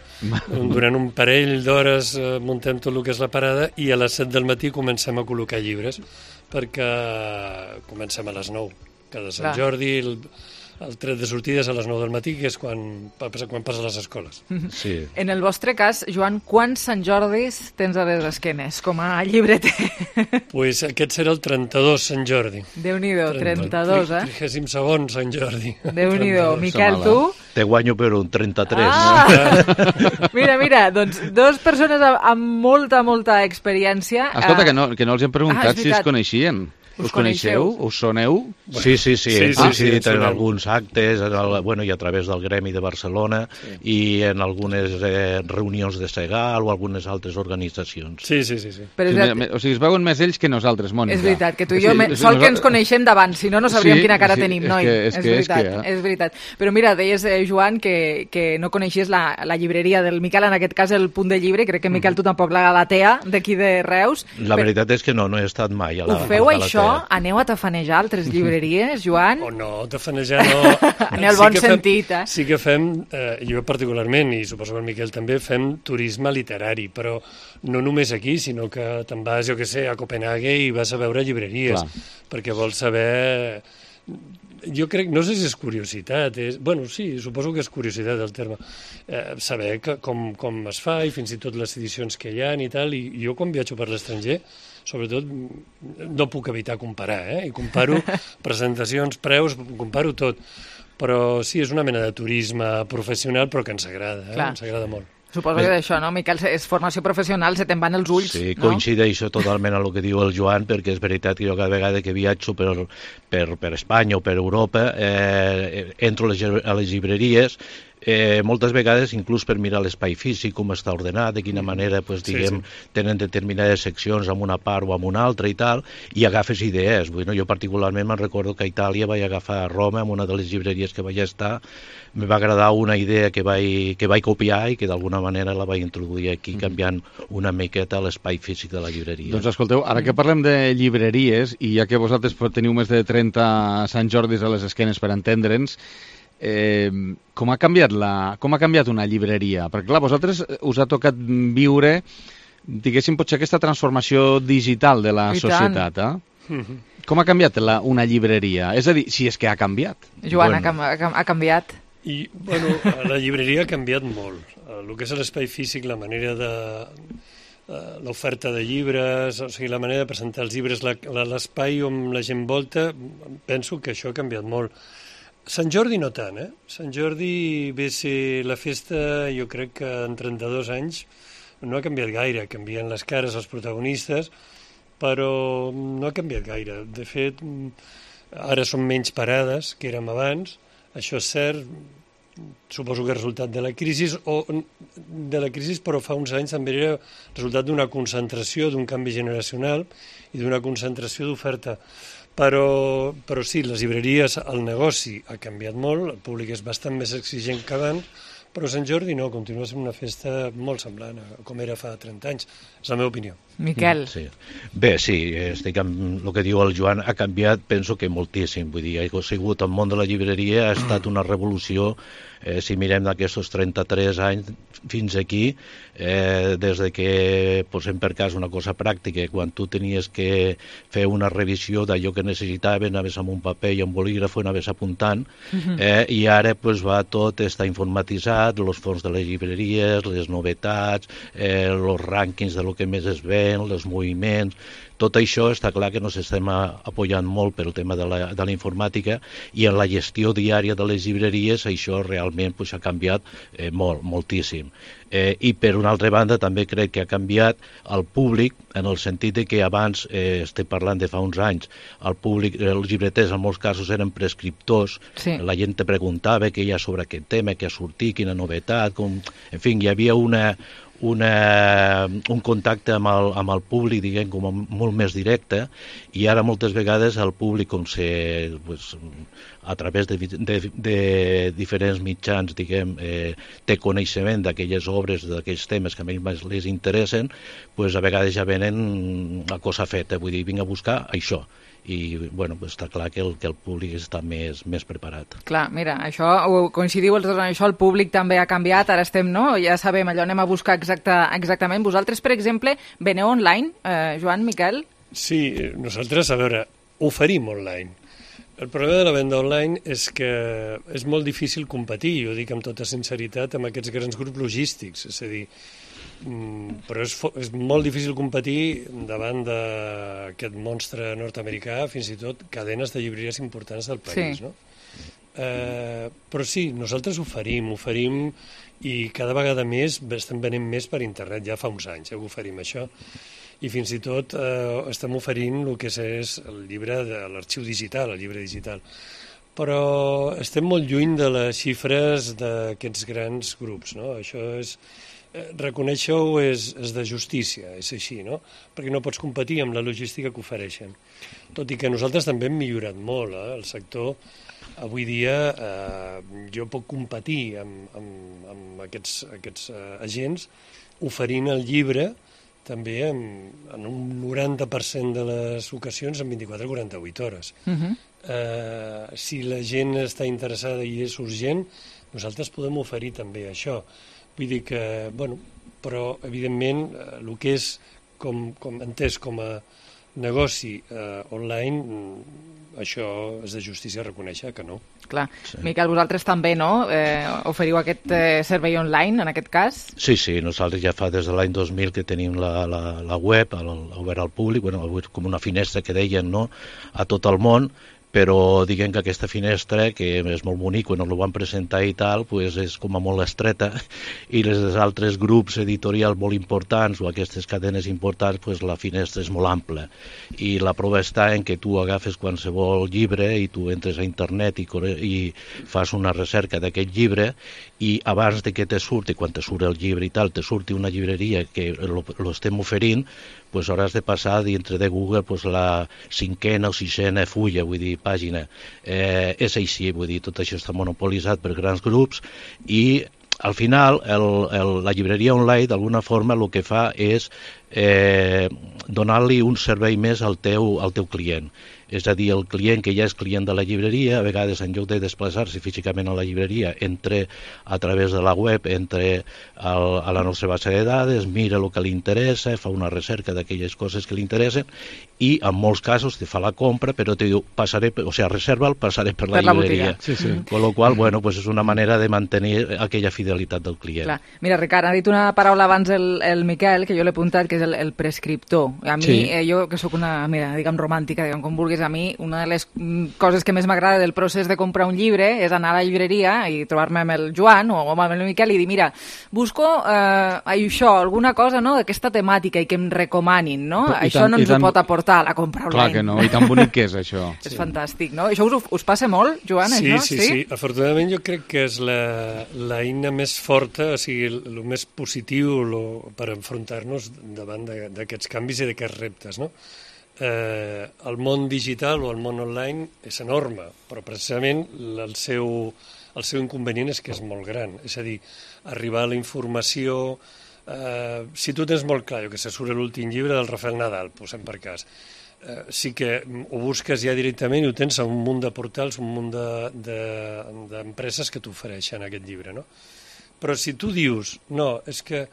durant un parell d'hores eh, muntem tot el que és la parada i a les set del matí comencem a col·locar llibres, perquè comencem a les nou, cada Sant Clar. Jordi, el, el tret de sortida és a les nou del matí, que és quan, quan passa a les escoles. Sí. En el vostre cas, Joan, quants Sant Jordis tens a les esquenes, com a llibreter? Pues aquest serà el trenta-dos Sant Jordi. Déu-n'hi-do, trenta-dos, eh? trigèsim segon Sant Jordi. Déu-n'hi-do. Miquel, tu? Te guanyo per un trenta-tres. Ah! Mira, mira, doncs dos persones amb molta, molta experiència. Escolta, que no, que no els hem Ah, preguntat és si es veritat. coneixien. Us Us coneixeu? Us soneu? Sí, sí, sí, Sí, hem sí, coincidit sí, en sí. alguns actes, en el, bueno, i a través del Gremi de Barcelona, i en algunes eh, reunions de Segal o algunes altres organitzacions. Sí, sí, sí. sí. Però és Sí, veritat- me- o sigui, es veuen més ells que nosaltres, Mònica. És veritat, que tu i jo, Sí, me, sí, sol que nosaltres- ens coneixem d'abans, si no, no sabríem Sí, quina cara sí, tenim, és noi. que- és és, que- és veritat, que, eh? és veritat. Però mira, deies, eh, Joan, que, que no coneixies la, la llibreria del Miquel, en aquest cas el Punt de Llibre, crec que Miquel tu tampoc la Galatea, d'aquí de Reus. La Però veritat és que no, no he estat mai a la ho feu, a la això? Galatea. Aneu a tafanejar altres llibreries, Joan? O no, tafanejar no. En el bon que fem, sentit, eh? Sí que fem, eh, jo particularment, i suposo que el Miquel també, fem turisme literari, però no només aquí, sinó que te'n vas, jo que sé, a Copenhague i vas a veure llibreries, Clar. perquè vols saber... Jo crec, no sé si és curiositat, és, bueno, sí, suposo que és curiositat el terme, eh, saber que, com, com es fa i fins i tot les edicions que hi ha i tal, i jo quan viatjo per l'estranger, sobretot, no puc evitar comparar, eh? I comparo presentacions, preus, comparo tot, però sí, és una mena de turisme professional, però que ens agrada, eh? Clar. Ens agrada molt. Suposo que d'això, no, Miquel? És formació professional, se te'n van els ulls, Sí, no? coincideixo totalment amb el que diu el Joan, perquè és veritat que jo cada vegada que viatjo per, per, per Espanya o per Europa, eh, entro a les, a les llibreries, eh, moltes vegades inclús per mirar l'espai físic, com està ordenat, de quina manera pues, Sí, diguem, sí. tenen determinades seccions amb una part o amb una altra i tal, i agafes idees. Vull, no? Jo particularment me'n recordo que a Itàlia vaig agafar a Roma, en una de les llibreries que vaig estar, me va agradar una idea que vaig, que vaig copiar i que d'alguna manera la vaig introduir aquí, canviant una miqueta l'espai físic de la llibreria. Doncs escolteu, ara que parlem de llibreries, i ja que vosaltres teniu més de trenta Sant Jordis a les esquenes per entendre'ns, eh, com ha canviat la, com ha canviat una llibreria? Perquè clar, vosaltres us ha tocat viure, diguéssim, potser aquesta transformació digital de la I tant. societat, eh? Com ha canviat la, una llibreria? És a dir, si és que ha canviat. Joan, Bueno. ha, cam- ha, cam- ha canviat. I, bueno, la llibreria ha canviat molt. El que és l'espai físic, la manera de... eh, l'oferta de llibres, o sigui, la manera de presentar els llibres, la- la- l'espai on la gent volta, penso que això ha canviat molt. Sant Jordi no tant, eh? Sant Jordi ve a ser la festa, jo crec que en trenta-dos anys no ha canviat gaire, canvien les cares als protagonistes, però no ha canviat gaire. De fet, ara són menys parades que érem abans, això és cert, suposo que és resultat de la crisi, o de la crisi, però fa uns anys també era resultat d'una concentració, d'un canvi generacional i d'una concentració d'oferta. Però, però sí, les llibreries, el negoci ha canviat molt, el públic és bastant més exigent que abans, però Sant Jordi no, continua sent una festa molt semblant a com era fa trenta anys, és la meva opinió. Miquel. Sí. Bé, sí, estic amb el que diu el Joan, ha canviat, penso que moltíssim, vull dir, ha sigut el món de la llibreria, ha estat una revolució, eh, si mirem d'aquests trenta-tres anys fins aquí, eh, des de que, posem per cas una cosa pràctica, quan tu tenies que fer una revisió d'allò que necessitaven, anaves amb un paper i un bolígraf, anaves apuntant, eh, i ara pues, va tot, està informatitzat, els fons de les llibreries, les novetats, eh, els rànquings de lo que més es ven, els moviments, tot això està clar que ens estem apoyant molt pel tema de la, de la informàtica i en la gestió diària de les llibreries això realment pues, ha canviat eh, molt, moltíssim. Eh, I per una altra banda també crec que ha canviat el públic en el sentit de que abans, eh, estic parlant de fa uns anys, el públic, els llibreters en molts casos eren prescriptors, Sí. la gent te preguntava què hi ha sobre aquest tema, què ha sortit, quina novetat, com... en fi, hi havia una, una, un contacte amb el, amb el públic, diguem, com a molt més directe, i ara moltes vegades el públic, com se, pues, a través de, de, de diferents mitjans, diguem, eh, té coneixement d'aquelles obres, d'aquells temes que a ells les interessen, pues, a vegades ja venen a cosa feta, vull dir, vinc a buscar això. i bueno, pues està clar que el, que el públic està més, més preparat. Clar, mira, això ho coincidiu els dos en això, el públic també ha canviat, ara estem, no? Ja sabem, allò anem a buscar exacta, exactament. Vosaltres, per exemple, veneu online, eh, Joan, Miquel? Sí, nosaltres, a veure, oferim online. El problema de la venda online és que és molt difícil competir, jo dic amb tota sinceritat, amb aquests grans grups logístics, és a dir, però és, és molt difícil competir davant d'aquest monstre nord-americà, fins i tot cadenes de llibreries importants del país, sí. No? Eh, però sí, nosaltres oferim, oferim i cada vegada més estem venent més per internet, ja fa uns anys eh, que oferim això, i fins i tot eh, estem oferint el que és el llibre de l'arxiu digital, el llibre digital. Però estem molt lluny de les xifres d'aquests grans grups, no? Això és... Reconèixer-ho és, és de justícia, és així, no? Perquè no pots competir amb la logística que ofereixen. Tot i que nosaltres també hem millorat molt, eh? El sector, avui dia, eh, jo puc competir amb, amb, amb aquests, aquests eh, agents oferint el llibre també en, en un noranta per cent de les ocasions en vint-i-quatre a quaranta-vuit hores. Uh-huh. eh, si la gent està interessada i és urgent, nosaltres podem oferir també això. Vull dir que, bueno, però evidentment el que és com, com entès com a negoci eh, online, això és de justícia reconèixer que no. Clar. Sí. Miquel, vosaltres també, no? Eh, oferiu aquest eh, servei online, en aquest cas? Sí, sí, nosaltres ja fa des de l'any dos mil que tenim la, la, la web el, obert al públic, bueno, com una finestra que deien, no?, a tot el món, però diguem que aquesta finestra, que és molt bonic, quan ho van presentar i tal, pues és com a molt estreta, i els altres grups editorials molt importants o aquestes cadenes importants, pues la finestra és molt ampla. I la prova està en que tu agafes qualsevol llibre i tu entres a internet i, i fas una recerca d'aquest llibre, i abans de que te surti, quan te surt el llibre i tal, te surti una llibreria que lo estem oferint, pues hauràs de passar dintre de Google pues, la cinquena o sisena fulla, vull dir, pàgina. Eh, és així, vull dir, tot això està monopolitzat per grans grups i al final el, el, la llibreria online d'alguna forma el que fa és eh, donar-li un servei més al teu, al teu client. És a dir, el client que ja és client de la llibreria, a vegades en lloc de desplaçar-se físicament a la llibreria, entra a través de la web, entra al, a la nostra base de dades, mira el que li interessa, fa una recerca d'aquelles coses que li interessen i en molts casos te fa la compra, però te diu, passaré, o sigui, reserva'l, passaré per la, per la llibreria. Sí, sí. Con lo qual, bueno, pues és una manera de mantenir aquella fidelitat del client. Clar. Mira, Ricard, ha dit una paraula abans el, el Miquel, que jo l'he apuntat, que és el, el prescriptor. A mi, sí. eh, jo que sóc una, mira, diguem romàntica, diguem com vulguis, a mi una de les coses que més m'agrada del procés de comprar un llibre és anar a la llibreria i trobar-me amb el Joan o amb el Miquel i dir, mira, busco eh, això, alguna cosa, no?, d'aquesta temàtica i que em recomanin, no? I això tant, no ens tant... ho pot aportar a la compra online. Clar que no, i tan bonic que és això. És sí. Fantàstic, no? Això us, us passa molt, Joan, sí, això? Sí, sí, sí. Afortunadament jo crec que és la, la eina més forta, o sigui, el més positiu lo, per enfrontar-nos davant d'aquests canvis i d'aquests reptes, no? Eh, el món digital o el món online és enorme, però precisament el seu, el seu inconvenient és que és molt gran. És a dir, arribar a la informació... Eh, si tu tens molt clar, jo que se surt l'últim llibre del Rafael Nadal, posem per cas, eh, sí que ho busques ja directament i ho tens a un munt de portals, un munt d'empreses de, de, que t'ofereixen aquest llibre, no? Però si tu dius, no, és que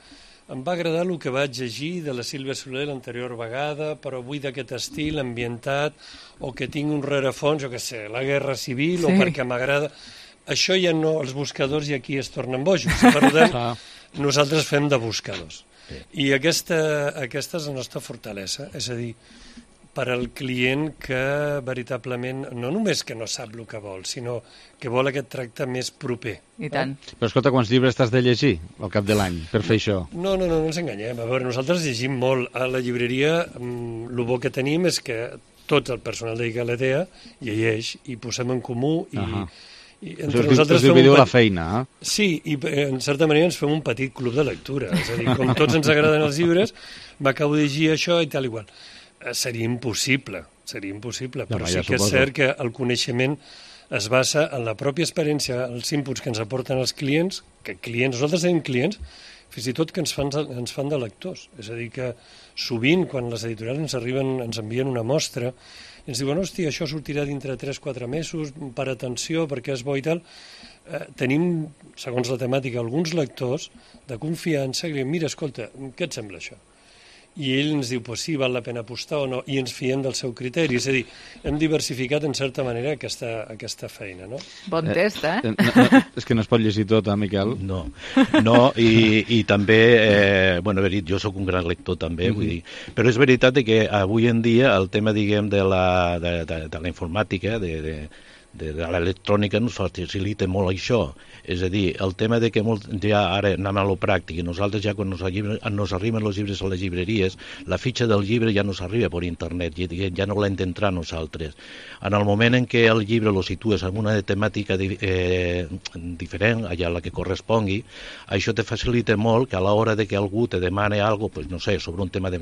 em va agradar el que vaig llegir de la Sílvia Soler l'anterior vegada, però vull d'aquest estil ambientat, o que tinc un rerefons, jo què sé, la guerra civil, sí. O perquè m'agrada... Això ja no, els buscadors i aquí es tornen bojos. Per tant, nosaltres fem de buscadors. Sí. I aquesta, aquesta és la nostra fortalesa, és a dir, per al client que veritablement, no només que no sap el que vol, sinó que vol aquest tracte més proper. I tant. Eh? Però escolta, quants llibres t'has de llegir al cap de l'any per fer això? No, no, no, no ens enganyem. A veure, nosaltres llegim molt. A la llibreria, el bo que tenim és que tot el personal de Galatea llegeix i posem en comú i... Uh-huh. I entre us, nosaltres us dividiu petit... la feina, eh? Sí, i en certa manera ens fem un petit club de lectura. És a dir, com tots ens agraden els llibres, m'acabo de llegir això i tal igual. Seria impossible, seria impossible, però ja, ja sí que és cert que el coneixement es basa en la pròpia experiència, els inputs que ens aporten els clients, que clients, nosaltres tenim clients, fins i tot que ens fan, ens fan de lectors. És a dir, que sovint, quan les editorials ens arriben, ens envien una mostra, i ens diuen, hòstia, això sortirà dintre tres o quatre mesos, per atenció, perquè és bo i tal. Eh, tenim, segons la temàtica, alguns lectors de confiança que diuen, mira, escolta, què et sembla això? I ell ens diu, pues sí, val la pena apostar o no, i ens fiem del seu criteri. És a dir, hem diversificat en certa manera aquesta, aquesta feina, no? Bon test, eh? eh no, no, és que no es pot llegir tot, eh, Miquel? No, no i, i també, eh, bueno, verit, jo sóc un gran lector també, mm-hmm. vull dir, però és veritat que avui en dia el tema, diguem, de la, de, de, de la informàtica, de, de, de, de l'electrònica ens facilita molt això. És a dir, el tema de que molt, ja ara anem a lo pràctic, i nosaltres ja quan nos, llibre, nos arriben els llibres a les llibreries, la fitxa del llibre ja nos arriba per internet, ja, ja no l'hem d'entrar nosaltres. En el moment en què el llibre lo situes en una temàtica eh, diferent, allà la que correspongui, això te facilita molt que a l'hora de que algú te demane alguna cosa, pues, no sé, sobre un tema de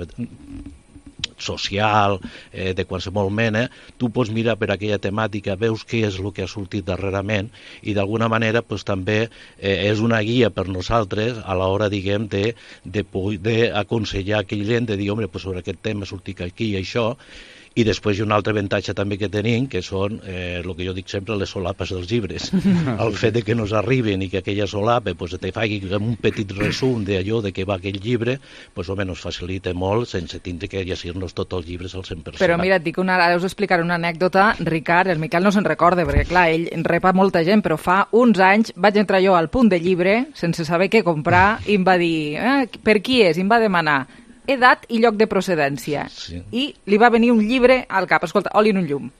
social, eh, de qualsevol mena, tu pots mirar per aquella temàtica, veus què és el que ha sortit darrerament i d'alguna manera pues, també eh, és una guia per nosaltres a l'hora, diguem, de, de, de aconsellar aquell gent, de dir, home, pues, sobre aquest tema ha sortit aquí i això. I després hi ha un altre avantatge també que tenim, que són eh, el que jo dic sempre, les solapes dels llibres. El fet de que nos arriben i que aquella solapa pues, te faci un petit resum d'allò de què va aquell llibre, pues, home, nos facilita molt sense tindre que llegir-nos tots els llibres al cent per cent. Però mira, et dic una, ara us explicaré una anècdota. Ricard, el Miquel no se'n recorda, perquè clar, ell repa molta gent, però fa uns anys vaig entrar jo al punt de llibre, sense saber què comprar, i em va dir, eh, per qui és? I em va demanar edat i lloc de procedència. Sí. I li va venir un llibre al cap. Escolta, oli en un llum.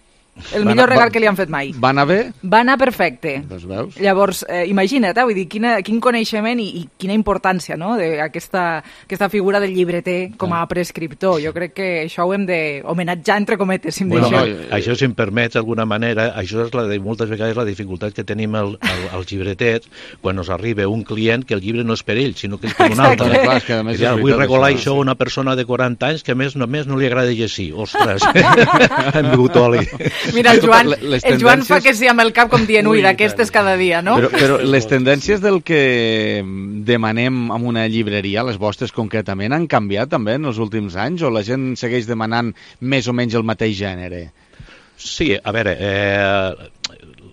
El millor regal va, que li han fet mai. Va anar bé? Va anar perfecte. Doncs veus? Llavors, eh, imagina't, eh, vull dir, quina, quin coneixement i, i quina importància, no?, d'aquesta aquesta figura del llibreter com a prescriptor. Jo crec que això ho hem de homenatjar, entre cometes, si em bueno, deixeu. No, això, si em permets, d'alguna manera, això és la de, moltes vegades la dificultat que tenim el, el, els llibreters quan ens arriba un client que el llibre no és per ell, sinó que és per un altre. Clar, és que a més ja, vull regalar això a una persona de quaranta anys que a més només no li agrada llegir. Ostres, hem begut oli. Mira, el Joan, el Joan fa que sí amb el cap com dient, ui, d'aquestes cada dia, no? Però, però les tendències del que demanem en una llibreria, les vostres concretament, han canviat també en els últims anys o la gent segueix demanant més o menys el mateix gènere? Sí, a veure, eh,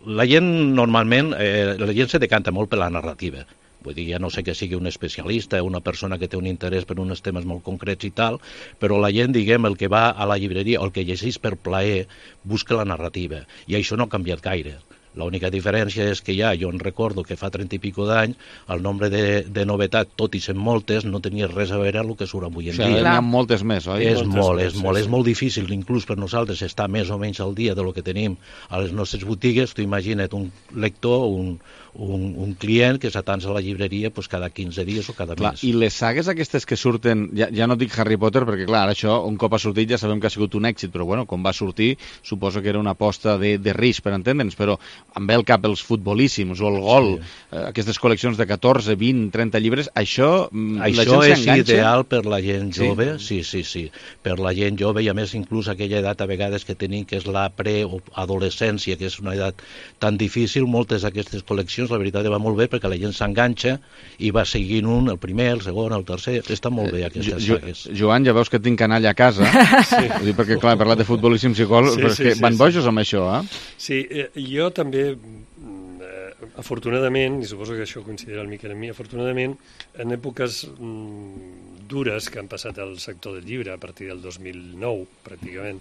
la gent normalment, eh, la gent se decanta molt per la narrativa. Vull dir, ja no sé que sigui un especialista, una persona que té un interès per uns temes molt concrets i tal, però la gent, diguem, el que va a la llibreria o el que llegeix per plaer, busca la narrativa. I això no ha canviat gaire. L'única diferència és que ja, jo en recordo que fa trenta i pico d'anys, el nombre de, de novetats, tot i sent moltes, no tenia res a veure amb el que surt avui en o sigui, dia. N'hi ha moltes més, oi? És moltes molt, més, és molt, sí, és molt difícil, inclús per nosaltres, estar més o menys al dia de lo que tenim a les nostres botigues. Tu imagina't un lector, un, un, un client que s'atansa a la llibreria pues, cada quinze dies o cada clar, mes. I les sagues aquestes que surten, ja, ja no dic Harry Potter, perquè clar, això un cop ha sortit ja sabem que ha sigut un èxit, però bueno, quan va sortir suposo que era una aposta de, de risc, per entendre'ns, però em ve al cap els futbolíssims o el gol, sí. eh, aquestes col·leccions de catorze, vint, trenta llibres, això, això la gent és s'enganxa? Ideal per la gent jove, sí? sí, sí, sí, per la gent jove i a més inclús aquella edat a vegades que tenim que és la preadolescència, que és una edat tan difícil, moltes d'aquestes col·leccions la veritat va molt bé perquè la gent s'enganxa i va seguint un, el primer, el segon, el tercer, està molt bé aquestes jo, sagues. Joan, ja veus que tinc canalla a casa, sí. Dir, perquè clar, he parlat de futbolíssims i gol, sí, però és sí, que sí, van sí. bojos amb això, eh? Sí, eh, jo també afortunadament, i suposo que això coincidirà el Miquel amb mi, afortunadament, en èpoques mm, dures que han passat al sector del llibre, a partir del dos mil nou, pràcticament,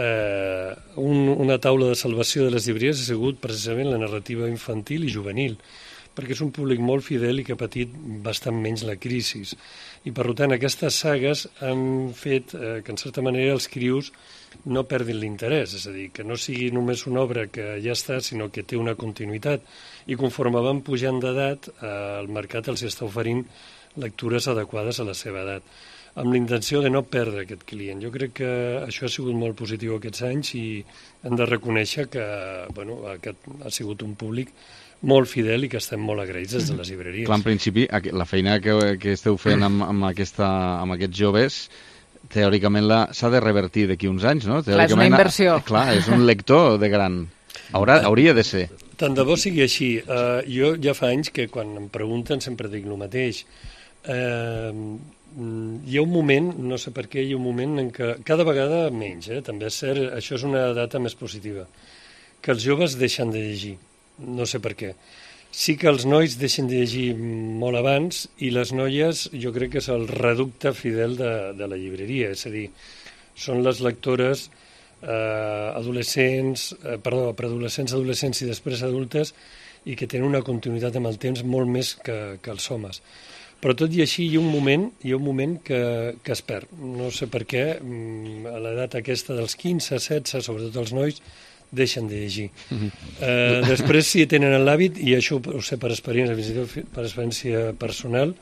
eh, un, una taula de salvació de les llibreries ha sigut precisament la narrativa infantil i juvenil, perquè és un públic molt fidel i que ha patit bastant menys la crisi. I, per tant, aquestes sagues han fet eh, que, en certa manera, els crius no perdin l'interès, és a dir, que no sigui només una obra que ja està, sinó que té una continuïtat. I conforme van pujant d'edat, eh, el mercat els està oferint lectures adequades a la seva edat, amb la intenció de no perdre aquest client. Jo crec que això ha sigut molt positiu aquests anys i hem de reconèixer que bueno, aquest ha sigut un públic molt fidel i que estem molt agraïts des de les llibreries. Clar, en principi, la feina que, que esteu fent amb, amb, aquesta, amb aquests joves teòricament s'ha de revertir d'aquí uns anys, no? Clar, és una inversió. Clar, és un lector de gran. Haurà, hauria de ser. Tant de bo sigui així. Uh, jo ja fa anys que quan em pregunten sempre dic el mateix. Uh, hi ha un moment, no sé per què, hi ha un moment en què cada vegada menys, eh? També és cert, això és una data més positiva, que els joves deixen de llegir, no sé per què. Sí que els nois deixen de llegir molt abans i les noies jo crec que és el reducte fidel de, de la llibreria, és a dir, són les lectores eh, adolescents, eh, perdó, preadolescents, adolescents i després adultes i que tenen una continuïtat amb el temps molt més que, que els homes. Però tot i així hi ha un moment, hi ha un moment que, que es perd. No sé per què, a l'edat aquesta dels quinze, setze, sobretot els nois, deixen de llegir. Eh, després, si tenen l'hàbit, i això ho sé per experiència, fins i tot per experiència personal,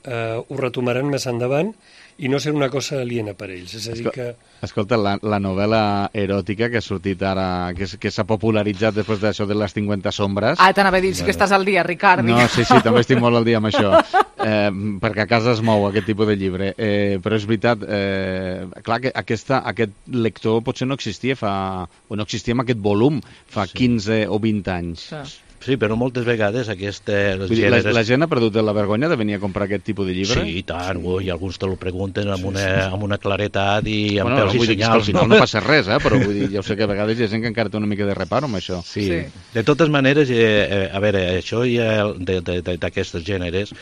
eh, ho retomaran més endavant i no ser una cosa aliena per ells. És a dir que... Escolta, la, la novel·la eròtica que ha sortit ara, que, que s'ha popularitzat després d'això de les cinquanta sombres... Ah, t'anava a dir, sí que estàs al dia, Ricard. No, sí, sí, també estic molt al dia amb això, eh, perquè a casa es mou aquest tipus de llibre. Eh, però és veritat, eh, clar, que aquesta, aquest lector potser no existia fa... o no existia amb aquest volum fa sí. quinze o vint anys. Sí. Sí, però moltes vegades aquestes... Gèneres... La, la gent ha perdut la vergonya de venir a comprar aquest tipus de llibre? Sí, i tant, ui, alguns te lo pregunten amb una, amb una claretat i amb bueno, pèls no, i senyals. Al final no passa res, eh? Però vull dir, ja ho sé que a vegades hi ha gent que encara té una mica de reparo amb això. Sí. sí. De totes maneres, eh, a veure, això ja d'aquestes gèneres,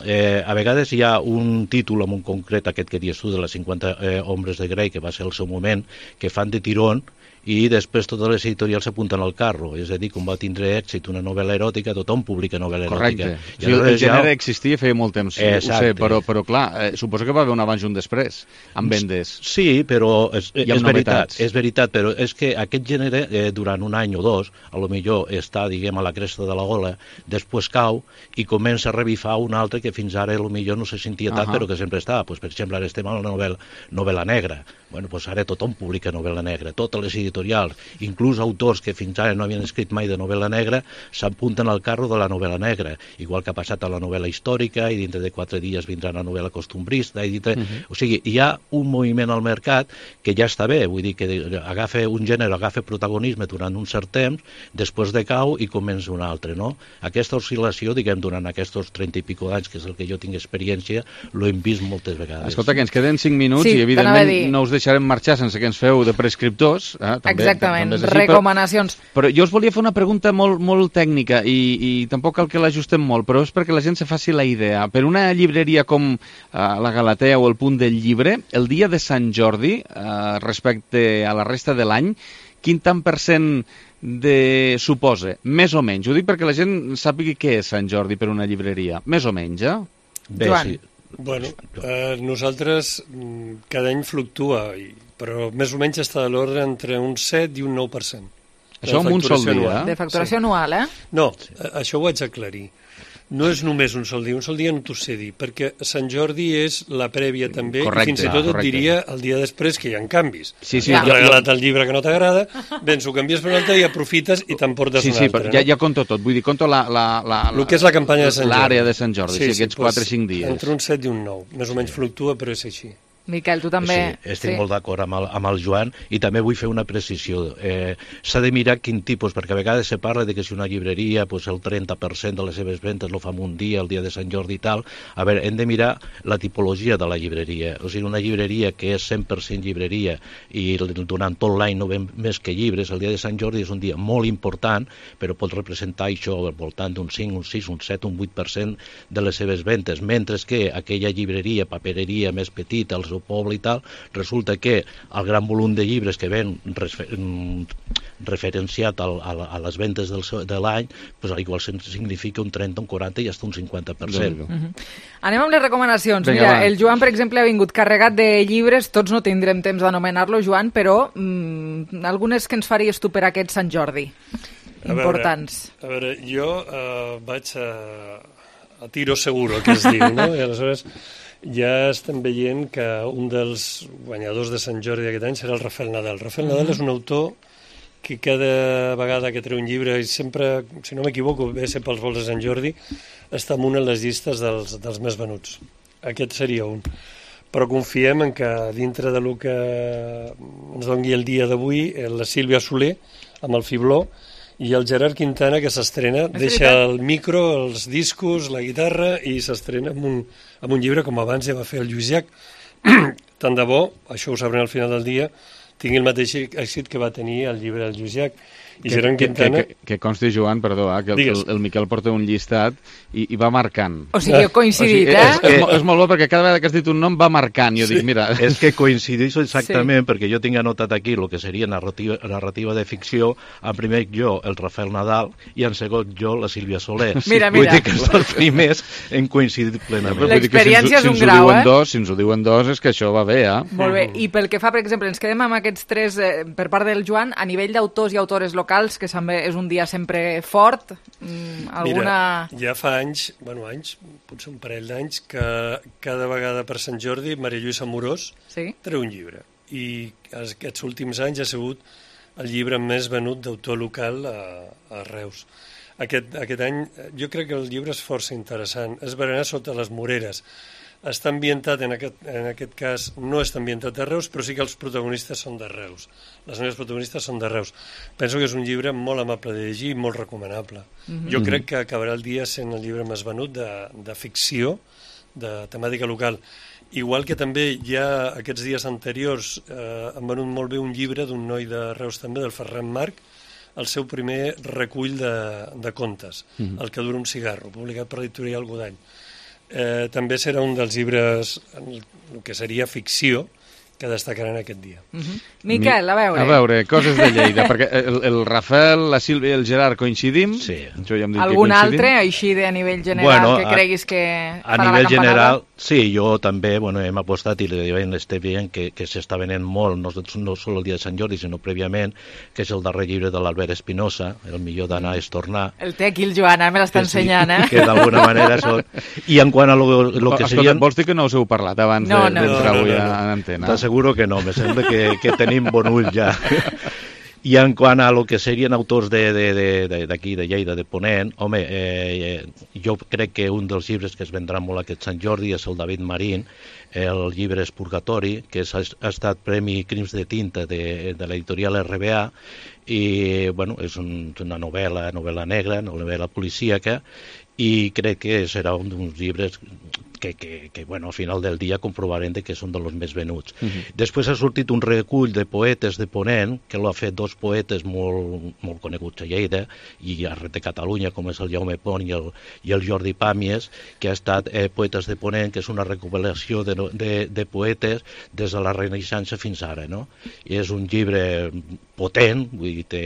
eh, a vegades hi ha un títol en un concret, aquest que dius tu, de les cinquanta eh, hombres de Grey, que va ser el seu moment, que fan de tirón, i després totes les editorials s'apunten al carro, és a dir, com va tindre èxit una novel·la eròtica, tothom publica novel·la eròtica. Correcte. O sigui, el gènere ja... existia feia molt temps, Exacte. ho sé, però, però clar, eh, suposo que va haver un abans i un després, amb vendes. Sí, però és, és veritat, és veritat, però és que aquest gènere, eh, durant un any o dos, a lo millor està, diguem, a la cresta de la gola, després cau i comença a revifar un altre que fins ara a lo millor no se sentia tant, uh -huh. però que sempre estava. Pues, per exemple, ara estem a la novel·la, novel·la negra. Bueno, pues ara tothom publica novel·la negra, totes les editorials, inclús autors que fins ara no havien escrit mai de novel·la negra, s'apunten al carro de la novel·la negra, igual que ha passat a la novel·la històrica, i dintre de quatre dies vindrà la novel·la costumbrista, i dintre... Uh-huh. O sigui, hi ha un moviment al mercat que ja està bé, vull dir que agafa un gènere, agafa protagonisme durant un cert temps, després decau i comença un altre, no? Aquesta oscil·lació, diguem, durant aquests trenta i pico d'anys, que és el que jo tinc experiència, l'ho hem vist moltes vegades. Escolta, que ens queden cinc minuts sí, i evidentment no us deixarem marxar sense que ens feu de prescriptors. Eh? També, Exactament, també així, recomanacions. Però, però jo us volia fer una pregunta molt, molt tècnica i, i tampoc cal que l'ajustem molt, però és perquè la gent se faci la idea. Per una llibreria com eh, la Galatea o el Punt del Llibre, el dia de Sant Jordi, eh, respecte a la resta de l'any, quin tant per cent de suposa? Més o menys. Ho dic perquè la gent sàpiga què és Sant Jordi per una llibreria. Més o menys, eh? Bé, Joan. sí. Bueno, eh, nosaltres cada any fluctua, però més o menys està de l'ordre entre un set i un nou per cent. Això en un sol dia? De facturació sí. anual, eh? No, això ho haig d'aclarir. No és només un sol dia, un sol dia no t'ho sé dir, perquè Sant Jordi és la prèvia també, correcte, i fins i tot correcte. et diria el dia després que hi ha canvis. Sí, sí, Has jo, regalat el llibre que no t'agrada, vens, ho canvies per un altre i aprofites i t'emportes sí, un sí, altre. Sí, no? ja, ja conto tot, vull dir, conto la, la, la, el que és la campanya de Sant Jordi. L'àrea de Sant Jordi, sí, sí, aquests doncs, quatre o cinc dies. Entre un set i un nou, més o menys fluctua, però és així. Miquel, tu també... Sí, estic sí. molt d'acord amb, el, amb el Joan, i també vull fer una precisió. Eh, s'ha de mirar quin tipus, perquè a vegades se parla de que si una llibreria, pues, el trenta per cent de les seves ventes lo fa en un dia, el dia de Sant Jordi i tal. A veure, hem de mirar la tipologia de la llibreria. O sigui, una llibreria que és cent per cent llibreria i durant tot l'any no ven més que llibres, el dia de Sant Jordi és un dia molt important, però pot representar això al voltant d'un cinc, un sis, un set, un vuit per cent de les seves ventes, mentre que aquella llibreria, papereria més petita, el seu poble i tal, resulta que el gran volum de llibres que ven refer, referenciat al, a, a les ventes del, de l'any, pues, igual significa un trenta, un quaranta i fins un cinquanta per cent. Uh -huh. Anem amb les recomanacions. Vinga, Mira, va. el Joan, per exemple, ha vingut carregat de llibres, tots no tindrem temps d'anomenar-lo, Joan, però mm, algunes que ens faries tu per aquest Sant Jordi, importants. A veure, a veure jo eh, vaig a, a tiro seguro, que es diu, no? I aleshores ja estem veient que un dels guanyadors de Sant Jordi d'aquest any serà el Rafael Nadal. Rafael Nadal és un autor que cada vegada que treu un llibre, i sempre, si no m'equivoco, ve a ser pels vols de Sant Jordi, està en una de les llistes dels, dels més venuts. Aquest seria un. Però confiem en que dintre de lo que ens doni el dia d'avui, la Sílvia Soler, amb el Fibló, i el Gerard Quintana, que s'estrena, deixa el micro, els discos, la guitarra, i s'estrena amb, un, amb un llibre, com abans ja va fer el Lluís Llach. Tant de bo, això ho sabrem al final del dia, tingui el mateix èxit que va tenir el llibre del Lluís Llach. I que, Gerard Quintana... Que, que, que consti, Joan, perdó, eh, que el, el, el Miquel porta un llistat i, i va marcant. O sigui, heu coincidit, o sigui, eh? És, és, és molt bo, perquè cada vegada que has dit un nom va marcant. Jo sí. dic, mira... És que coincideix exactament, sí. perquè jo tinc anotat aquí el que seria narrativa, narrativa de ficció, en primer jo, el Rafael Nadal, i en segon jo, la Sílvia Soler. Mira, Vull mira. dir que els dos primers hem coincidit plenament. L'experiència si és un grau, eh? Dos, si ens ho diuen dos, és que això va bé, eh? Molt bé. I pel que fa, per exemple, ens quedem amb aquests tres, eh, per part del Joan, a nivell d'autors i autores locals, que també és un dia sempre fort, mm, alguna... Mira, ja fa anys, bueno, anys, potser un parell d'anys, que cada vegada per Sant Jordi Maria Lluïsa Amorós sí? treu un llibre. I aquests últims anys ha sigut el llibre més venut d'autor local a, a Reus. Aquest, aquest any, jo crec que el llibre és força interessant. És Berenar sota les Moreres. Està ambientat, en aquest, en aquest cas, no està ambientat a Reus, però sí que els protagonistes són de Reus. Les meves protagonistes són de Reus. Penso que és un llibre molt amable de llegir i molt recomanable. Mm-hmm. Jo crec que acabarà el dia sent el llibre més venut de, de ficció, de temàtica local. Igual que també ja aquests dies anteriors eh, han venut molt bé un llibre d'un noi de Reus també, del Ferran Marc, el seu primer recull de, de contes, mm-hmm. El que dura un cigarro, publicat per l'editorial Godall. Eh, també serà un dels llibres, el que seria ficció, que destacaran aquest dia. Uh-huh. Miquel, a veure. A veure, coses de Lleida, perquè el, el Rafael, la Sílvia i el Gerard coincidim. Sí. Jo ja em dic Algun que coincidim. altre, així de a nivell general, bueno, que creguis que a, farà a nivell la campanada? general, sí, jo també, bueno, hem apostat i li diuen este bien que, que s'està venent molt, no, no sol el dia de Sant Jordi, sinó prèviament, que és el darrer llibre de l'Albert Espinosa, El millor d'anar és tornar. El té aquí el Joan, me l'està ensenyant, eh? Que d'alguna manera són... I en quant a lo, lo que Escolta, serien... vols dir que no us heu parlat abans no, de, no, d'entrar no, avui no, no. a l'antena? T'asseguro que no, me sembla que, que tenim bon ull ja. I en quant a lo que serien autors d'aquí, de, de, de, de Lleida, de Ponent, home, eh, jo crec que un dels llibres que es vendrà molt aquest Sant Jordi és el David Marín, el llibre és Purgatori, que és, ha estat Premi Crims de Tinta de, de l'editorial R B A, i bueno, és un, una novel·la, novel·la negra, novel·la policíaca, i crec que serà un dels llibres que, que, que bueno, al final del dia comprovarem de que són dels més venuts. Uh-huh. Després ha sortit un recull de poetes de Ponent, que l'ha fet dos poetes molt, molt coneguts a Lleida i arreu de Catalunya, com és el Jaume Pont i el, i el Jordi Pàmies, que ha estat eh, Poetes de Ponent, que és una recopilació de, de, de poetes des de la Renaixença fins ara, no? I és un llibre potent, vull dir, té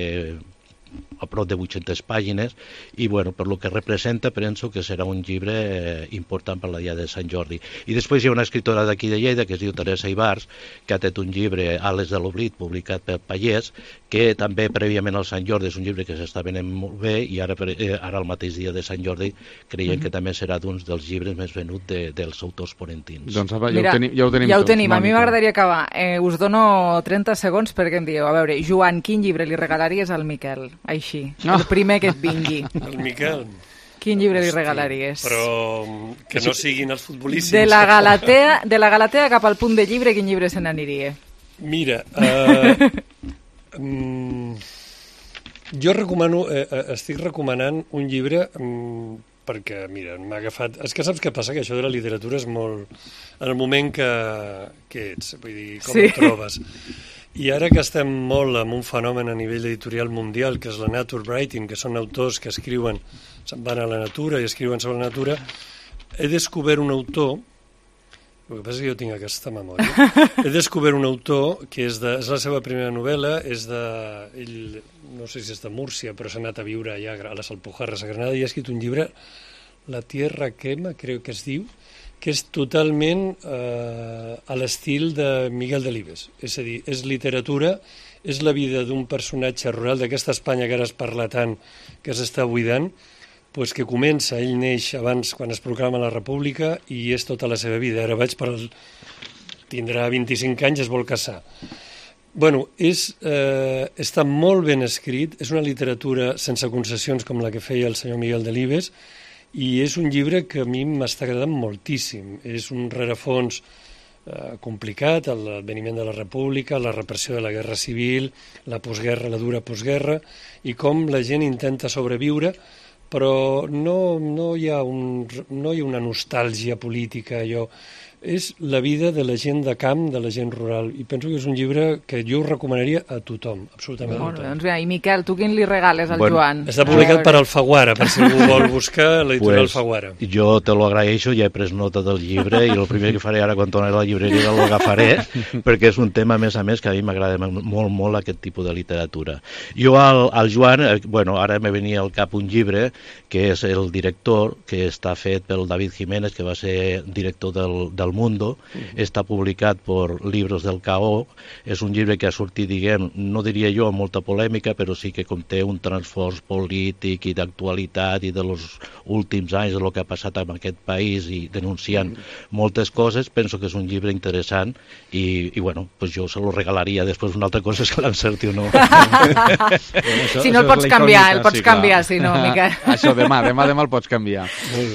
a prop de vuit-centes pàgines, i bueno, per lo que representa penso que serà un llibre eh, important per la dia de Sant Jordi. I després hi ha una escriptora d'aquí de Lleida que es diu Teresa Ibars, que ha fet un llibre, Ales de l'Oblit, publicat per Pallès, que també prèviament al Sant Jordi és un llibre que s'està venent molt bé, i ara, eh, ara el mateix dia de Sant Jordi creiem uh-huh. que també serà d'un dels llibres més venuts de, dels autors ponentins. Doncs ja, Mira, ho, tenim, ja ho tenim ja ho tots. tenim. A mi m'agradaria acabar. Eh, us dono trenta segons perquè em dieu, a veure, Joan, quin llibre li regalaries al Miquel? Així, no. El primer que et vingui. El Miquel. Quin llibre li Hosti, regalaries? Però que no siguin els futbolíssims. De la Galatea, de la Galatea cap al punt de llibre, quin llibre se n'aniria? Mira, uh, um, jo recomano, eh, estic recomanant un llibre um, perquè, mira, m'ha agafat... És que saps què passa? Que això de la literatura és molt... En el moment que, que ets, vull dir, com sí. et trobes. I ara que estem molt amb un fenomen a nivell editorial mundial, que és la nature writing, que són autors que escriuen, se'n van a la natura i escriuen sobre la natura, he descobert un autor, el que passa és que jo tinc aquesta memòria, he descobert un autor que és, de, és la seva primera novel·la, és de, ell, no sé si és de Múrcia, però s'ha anat a viure allà a les Alpujarres, a Granada, i ha escrit un llibre, La tierra quema, crec que es diu, que és totalment eh, a l'estil de Miguel Delibes. És a dir, és literatura, és la vida d'un personatge rural d'aquesta Espanya que ara es parla tant, que s'està buidant, pues que comença, ell neix abans quan es proclama la República i és tota la seva vida. Ara vaig per... El... tindrà vint-i-cinc anys, es vol casar. Bueno, és, eh, està molt ben escrit, és una literatura sense concessions com la que feia el senyor Miguel Delibes, i és un llibre que a mi m'està agradant moltíssim. És un rerefons eh, complicat, l'adveniment de la República, la repressió de la Guerra Civil, la postguerra, la dura postguerra, i com la gent intenta sobreviure, però no, no, hi ha un, no hi ha una nostàlgia política, allò. És la vida de la gent de camp, de la gent rural, i penso que és un llibre que jo us recomanaria a tothom, absolutament a Molt bé, tothom. doncs bé, i Miquel, tu quin li regales al Bueno, Joan? Està publicat per Alfaguara, per si algú vol buscar l'editorial Pues, Alfaguara. jo te lo agraeixo, ja he pres nota del llibre i el primer que faré ara quan torni a la llibreria l'agafaré, perquè és un tema, a més a més, que a mi m'agrada molt, molt aquest tipus de literatura. Jo al, al Joan, eh, bueno, ara me venia al cap un llibre que és El director, que està fet pel David Jiménez, que va ser director del, del Mundo, està publicat per Libros del K O, és un llibre que ha sortit, diguem, no diria jo amb molta polèmica, però sí que conté un transfors polític i d'actualitat i de los últims anys, de lo que ha passat en aquest país i denunciant moltes coses. Penso que és un llibre interessant i, i bueno, pues jo se lo regalaria. Després una altra cosa és que l'encerti o no. Si no el pots canviar, el pots canviar, si no, Miquel. Això, demà, demà, demà el pots canviar.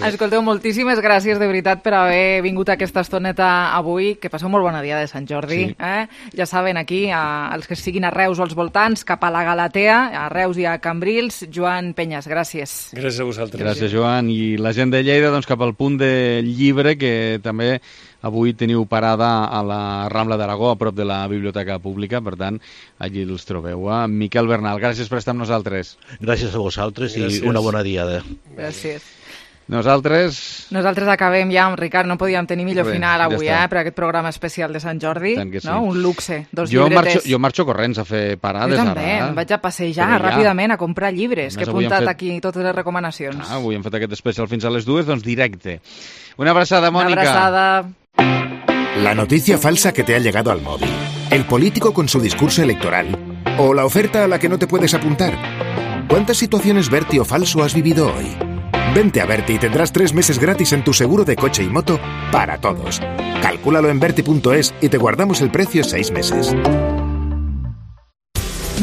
Escolteu, moltíssimes gràcies de veritat per haver vingut a aquesta estoneta avui, que passeu molt bona dia de Sant Jordi. Sí. Eh? Ja saben, aquí, a, els que siguin a Reus o als voltants, cap a la Galatea, a Reus i a Cambrils. Joan Penyes, gràcies. Gràcies a vosaltres. Gràcies, Joan. I la gent de Lleida, doncs, cap al punt del llibre, que també avui teniu parada a la Rambla d'Aragó, a prop de la Biblioteca Pública, per tant, allí els trobeu. Eh? Miquel Bernal, gràcies per estar amb nosaltres. Gràcies a vosaltres Gràcies. i una bona diada. Gràcies. Nosaltres... Nosaltres acabem ja amb Ricard, no podíem tenir millor Res, final avui, ja està. eh, per aquest programa especial de Sant Jordi, Tant que sí. no? Un luxe, dos jo llibretes. marxo, jo marxo corrents a fer parades Jo també, ara. em vaig a passejar Però ja. ràpidament a comprar llibres, A que he més, avui hem apuntat fet- aquí totes les recomanacions. Ah, avui hem fet aquest especial fins a les dues, doncs directe. Una abraçada, Mònica. Una abraçada. La noticia falsa que te ha llegado al móvil, el político con su discurso electoral o la oferta a la que no te puedes apuntar. ¿Cuántas situaciones Berti o falso has vivido hoy? Vente a Berti y tendrás tres meses gratis en tu seguro de coche y moto para todos. Calcúlalo en berti punto es y te guardamos el precio seis meses.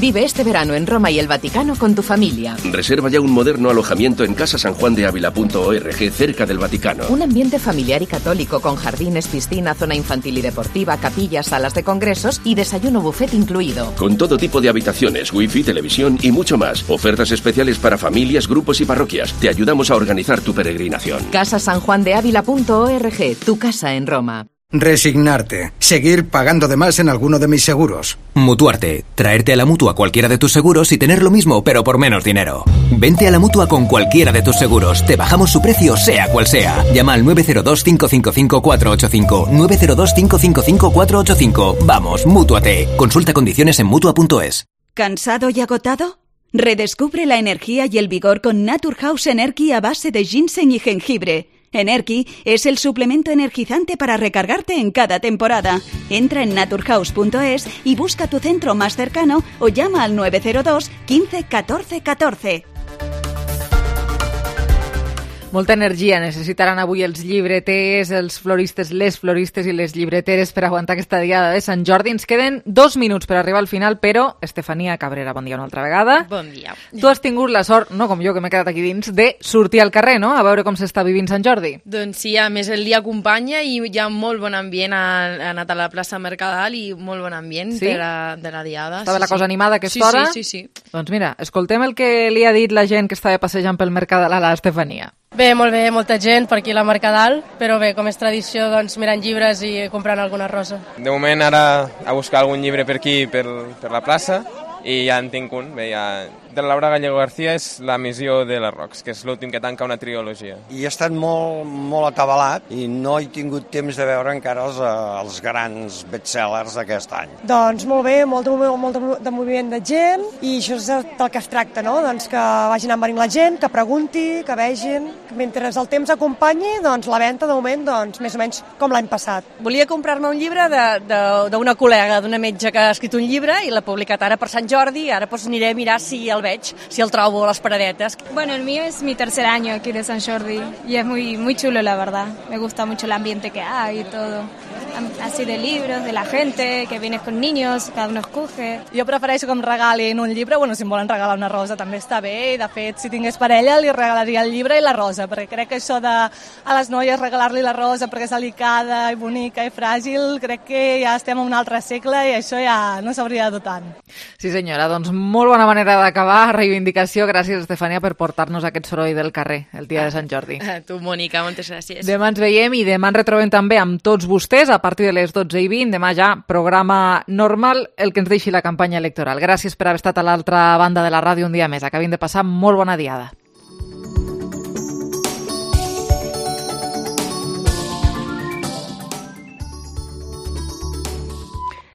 Vive este verano en Roma y el Vaticano con tu familia. Reserva ya un moderno alojamiento en casa san juan de ávila punto org, cerca del Vaticano. Un ambiente familiar y católico con jardines, piscina, zona infantil y deportiva, capillas, salas de congresos y desayuno buffet incluido. Con todo tipo de habitaciones, wifi, televisión y mucho más. Ofertas especiales para familias, grupos y parroquias. Te ayudamos a organizar tu peregrinación. casa san juan de ávila punto org, tu casa en Roma. Resignarte. Seguir pagando de más en alguno de mis seguros. Mutuarte. Traerte a la Mutua cualquiera de tus seguros y tener lo mismo, pero por menos dinero. Vente a la Mutua con cualquiera de tus seguros. Te bajamos su precio, sea cual sea. Llama al nueve cero dos, cinco cinco cinco, cuatro ocho cinco. nueve cero dos, cinco cinco cinco, cuatro ocho cinco. Vamos, Mútuate. Consulta condiciones en Mutua punto es. ¿Cansado y agotado? Redescubre la energía y el vigor con Naturhaus Energy a base de ginseng y jengibre. Energy es el suplemento energizante para recargarte en cada temporada. Entra en naturhaus punto es y busca tu centro más cercano o llama al nueve cero dos, quince, catorce, catorce. Molta energia necessitaran avui els llibreters, els floristes, les floristes i les llibreteres per aguantar aquesta diada de Sant Jordi. Ens queden dos minuts per arribar al final, però Estefania Cabrera, bon dia una altra vegada. Bon dia. Tu has tingut la sort, no com jo que m'he quedat aquí dins, de sortir al carrer, no?, a veure com s'està vivint Sant Jordi. Doncs sí, a més el dia acompanya i hi ha molt bon ambient. Ha anat a la plaça Mercadal i molt bon ambient Sí? de, la, de la diada. Estava sí, la cosa sí. animada a aquesta sí, hora? Sí, sí, sí. Doncs mira, escoltem el que li ha dit la gent que estava passejant pel Mercadal a l'Estefania. Bé, molt bé, molta gent per aquí a la Mercadal, però bé, com és tradició, doncs mirant llibres i comprant alguna rosa. De moment ara a buscar algun llibre per aquí, per, per la plaça, i ja en tinc un. Bé, ja... De la Laura Gallego García és La missió de les Rocs, que és l'últim que tanca una trilogia. I he estat molt, molt acabalat i no he tingut temps de veure encara els, els grans bestsellers d'aquest any. Doncs molt bé, molt de, molt de moviment de gent i això és del que es tracta, no? Doncs que vagin envenint la gent, que pregunti, que vegin. Mentre el temps acompanyi, doncs la venda de moment, doncs més o menys com l'any passat. Volia comprar-me un llibre d'una col·lega, d'una metge que ha escrit un llibre i l'ha publicat ara per Sant Jordi i ara pues, aniré a mirar si el veig, si el trobo a las paradetas. Bueno, el mío es mi tercer año aquí de San Jordi y es muy, muy chulo, la verdad. Me gusta mucho el ambiente que hay y todo. así de libros, de la gente, que vienes con niños, cada uno escoge. Jo prefereixo que em regalin un llibre, bueno, si em volen regalar una rosa també està bé, i de fet, si tingués parella li regalaria el llibre i la rosa, perquè crec que això de a les noies regalar-li la rosa perquè és delicada i bonica i fràgil, crec que ja estem en un altre segle i això ja no s'hauria de dur tant. Sí senyora, doncs molt bona manera d'acabar, reivindicació, gràcies Estefania per portar-nos aquest soroll del carrer el dia de Sant Jordi. A tu, Mònica, moltes gràcies. Demà ens veiem i demà ens retrobem també amb tots vostès a partir de les dotze i vint. Demà ja programa normal, el que ens deixi la campanya electoral. Gràcies per haver estat a l'altra banda de la ràdio un dia més. Acabin de passar molt bona diada.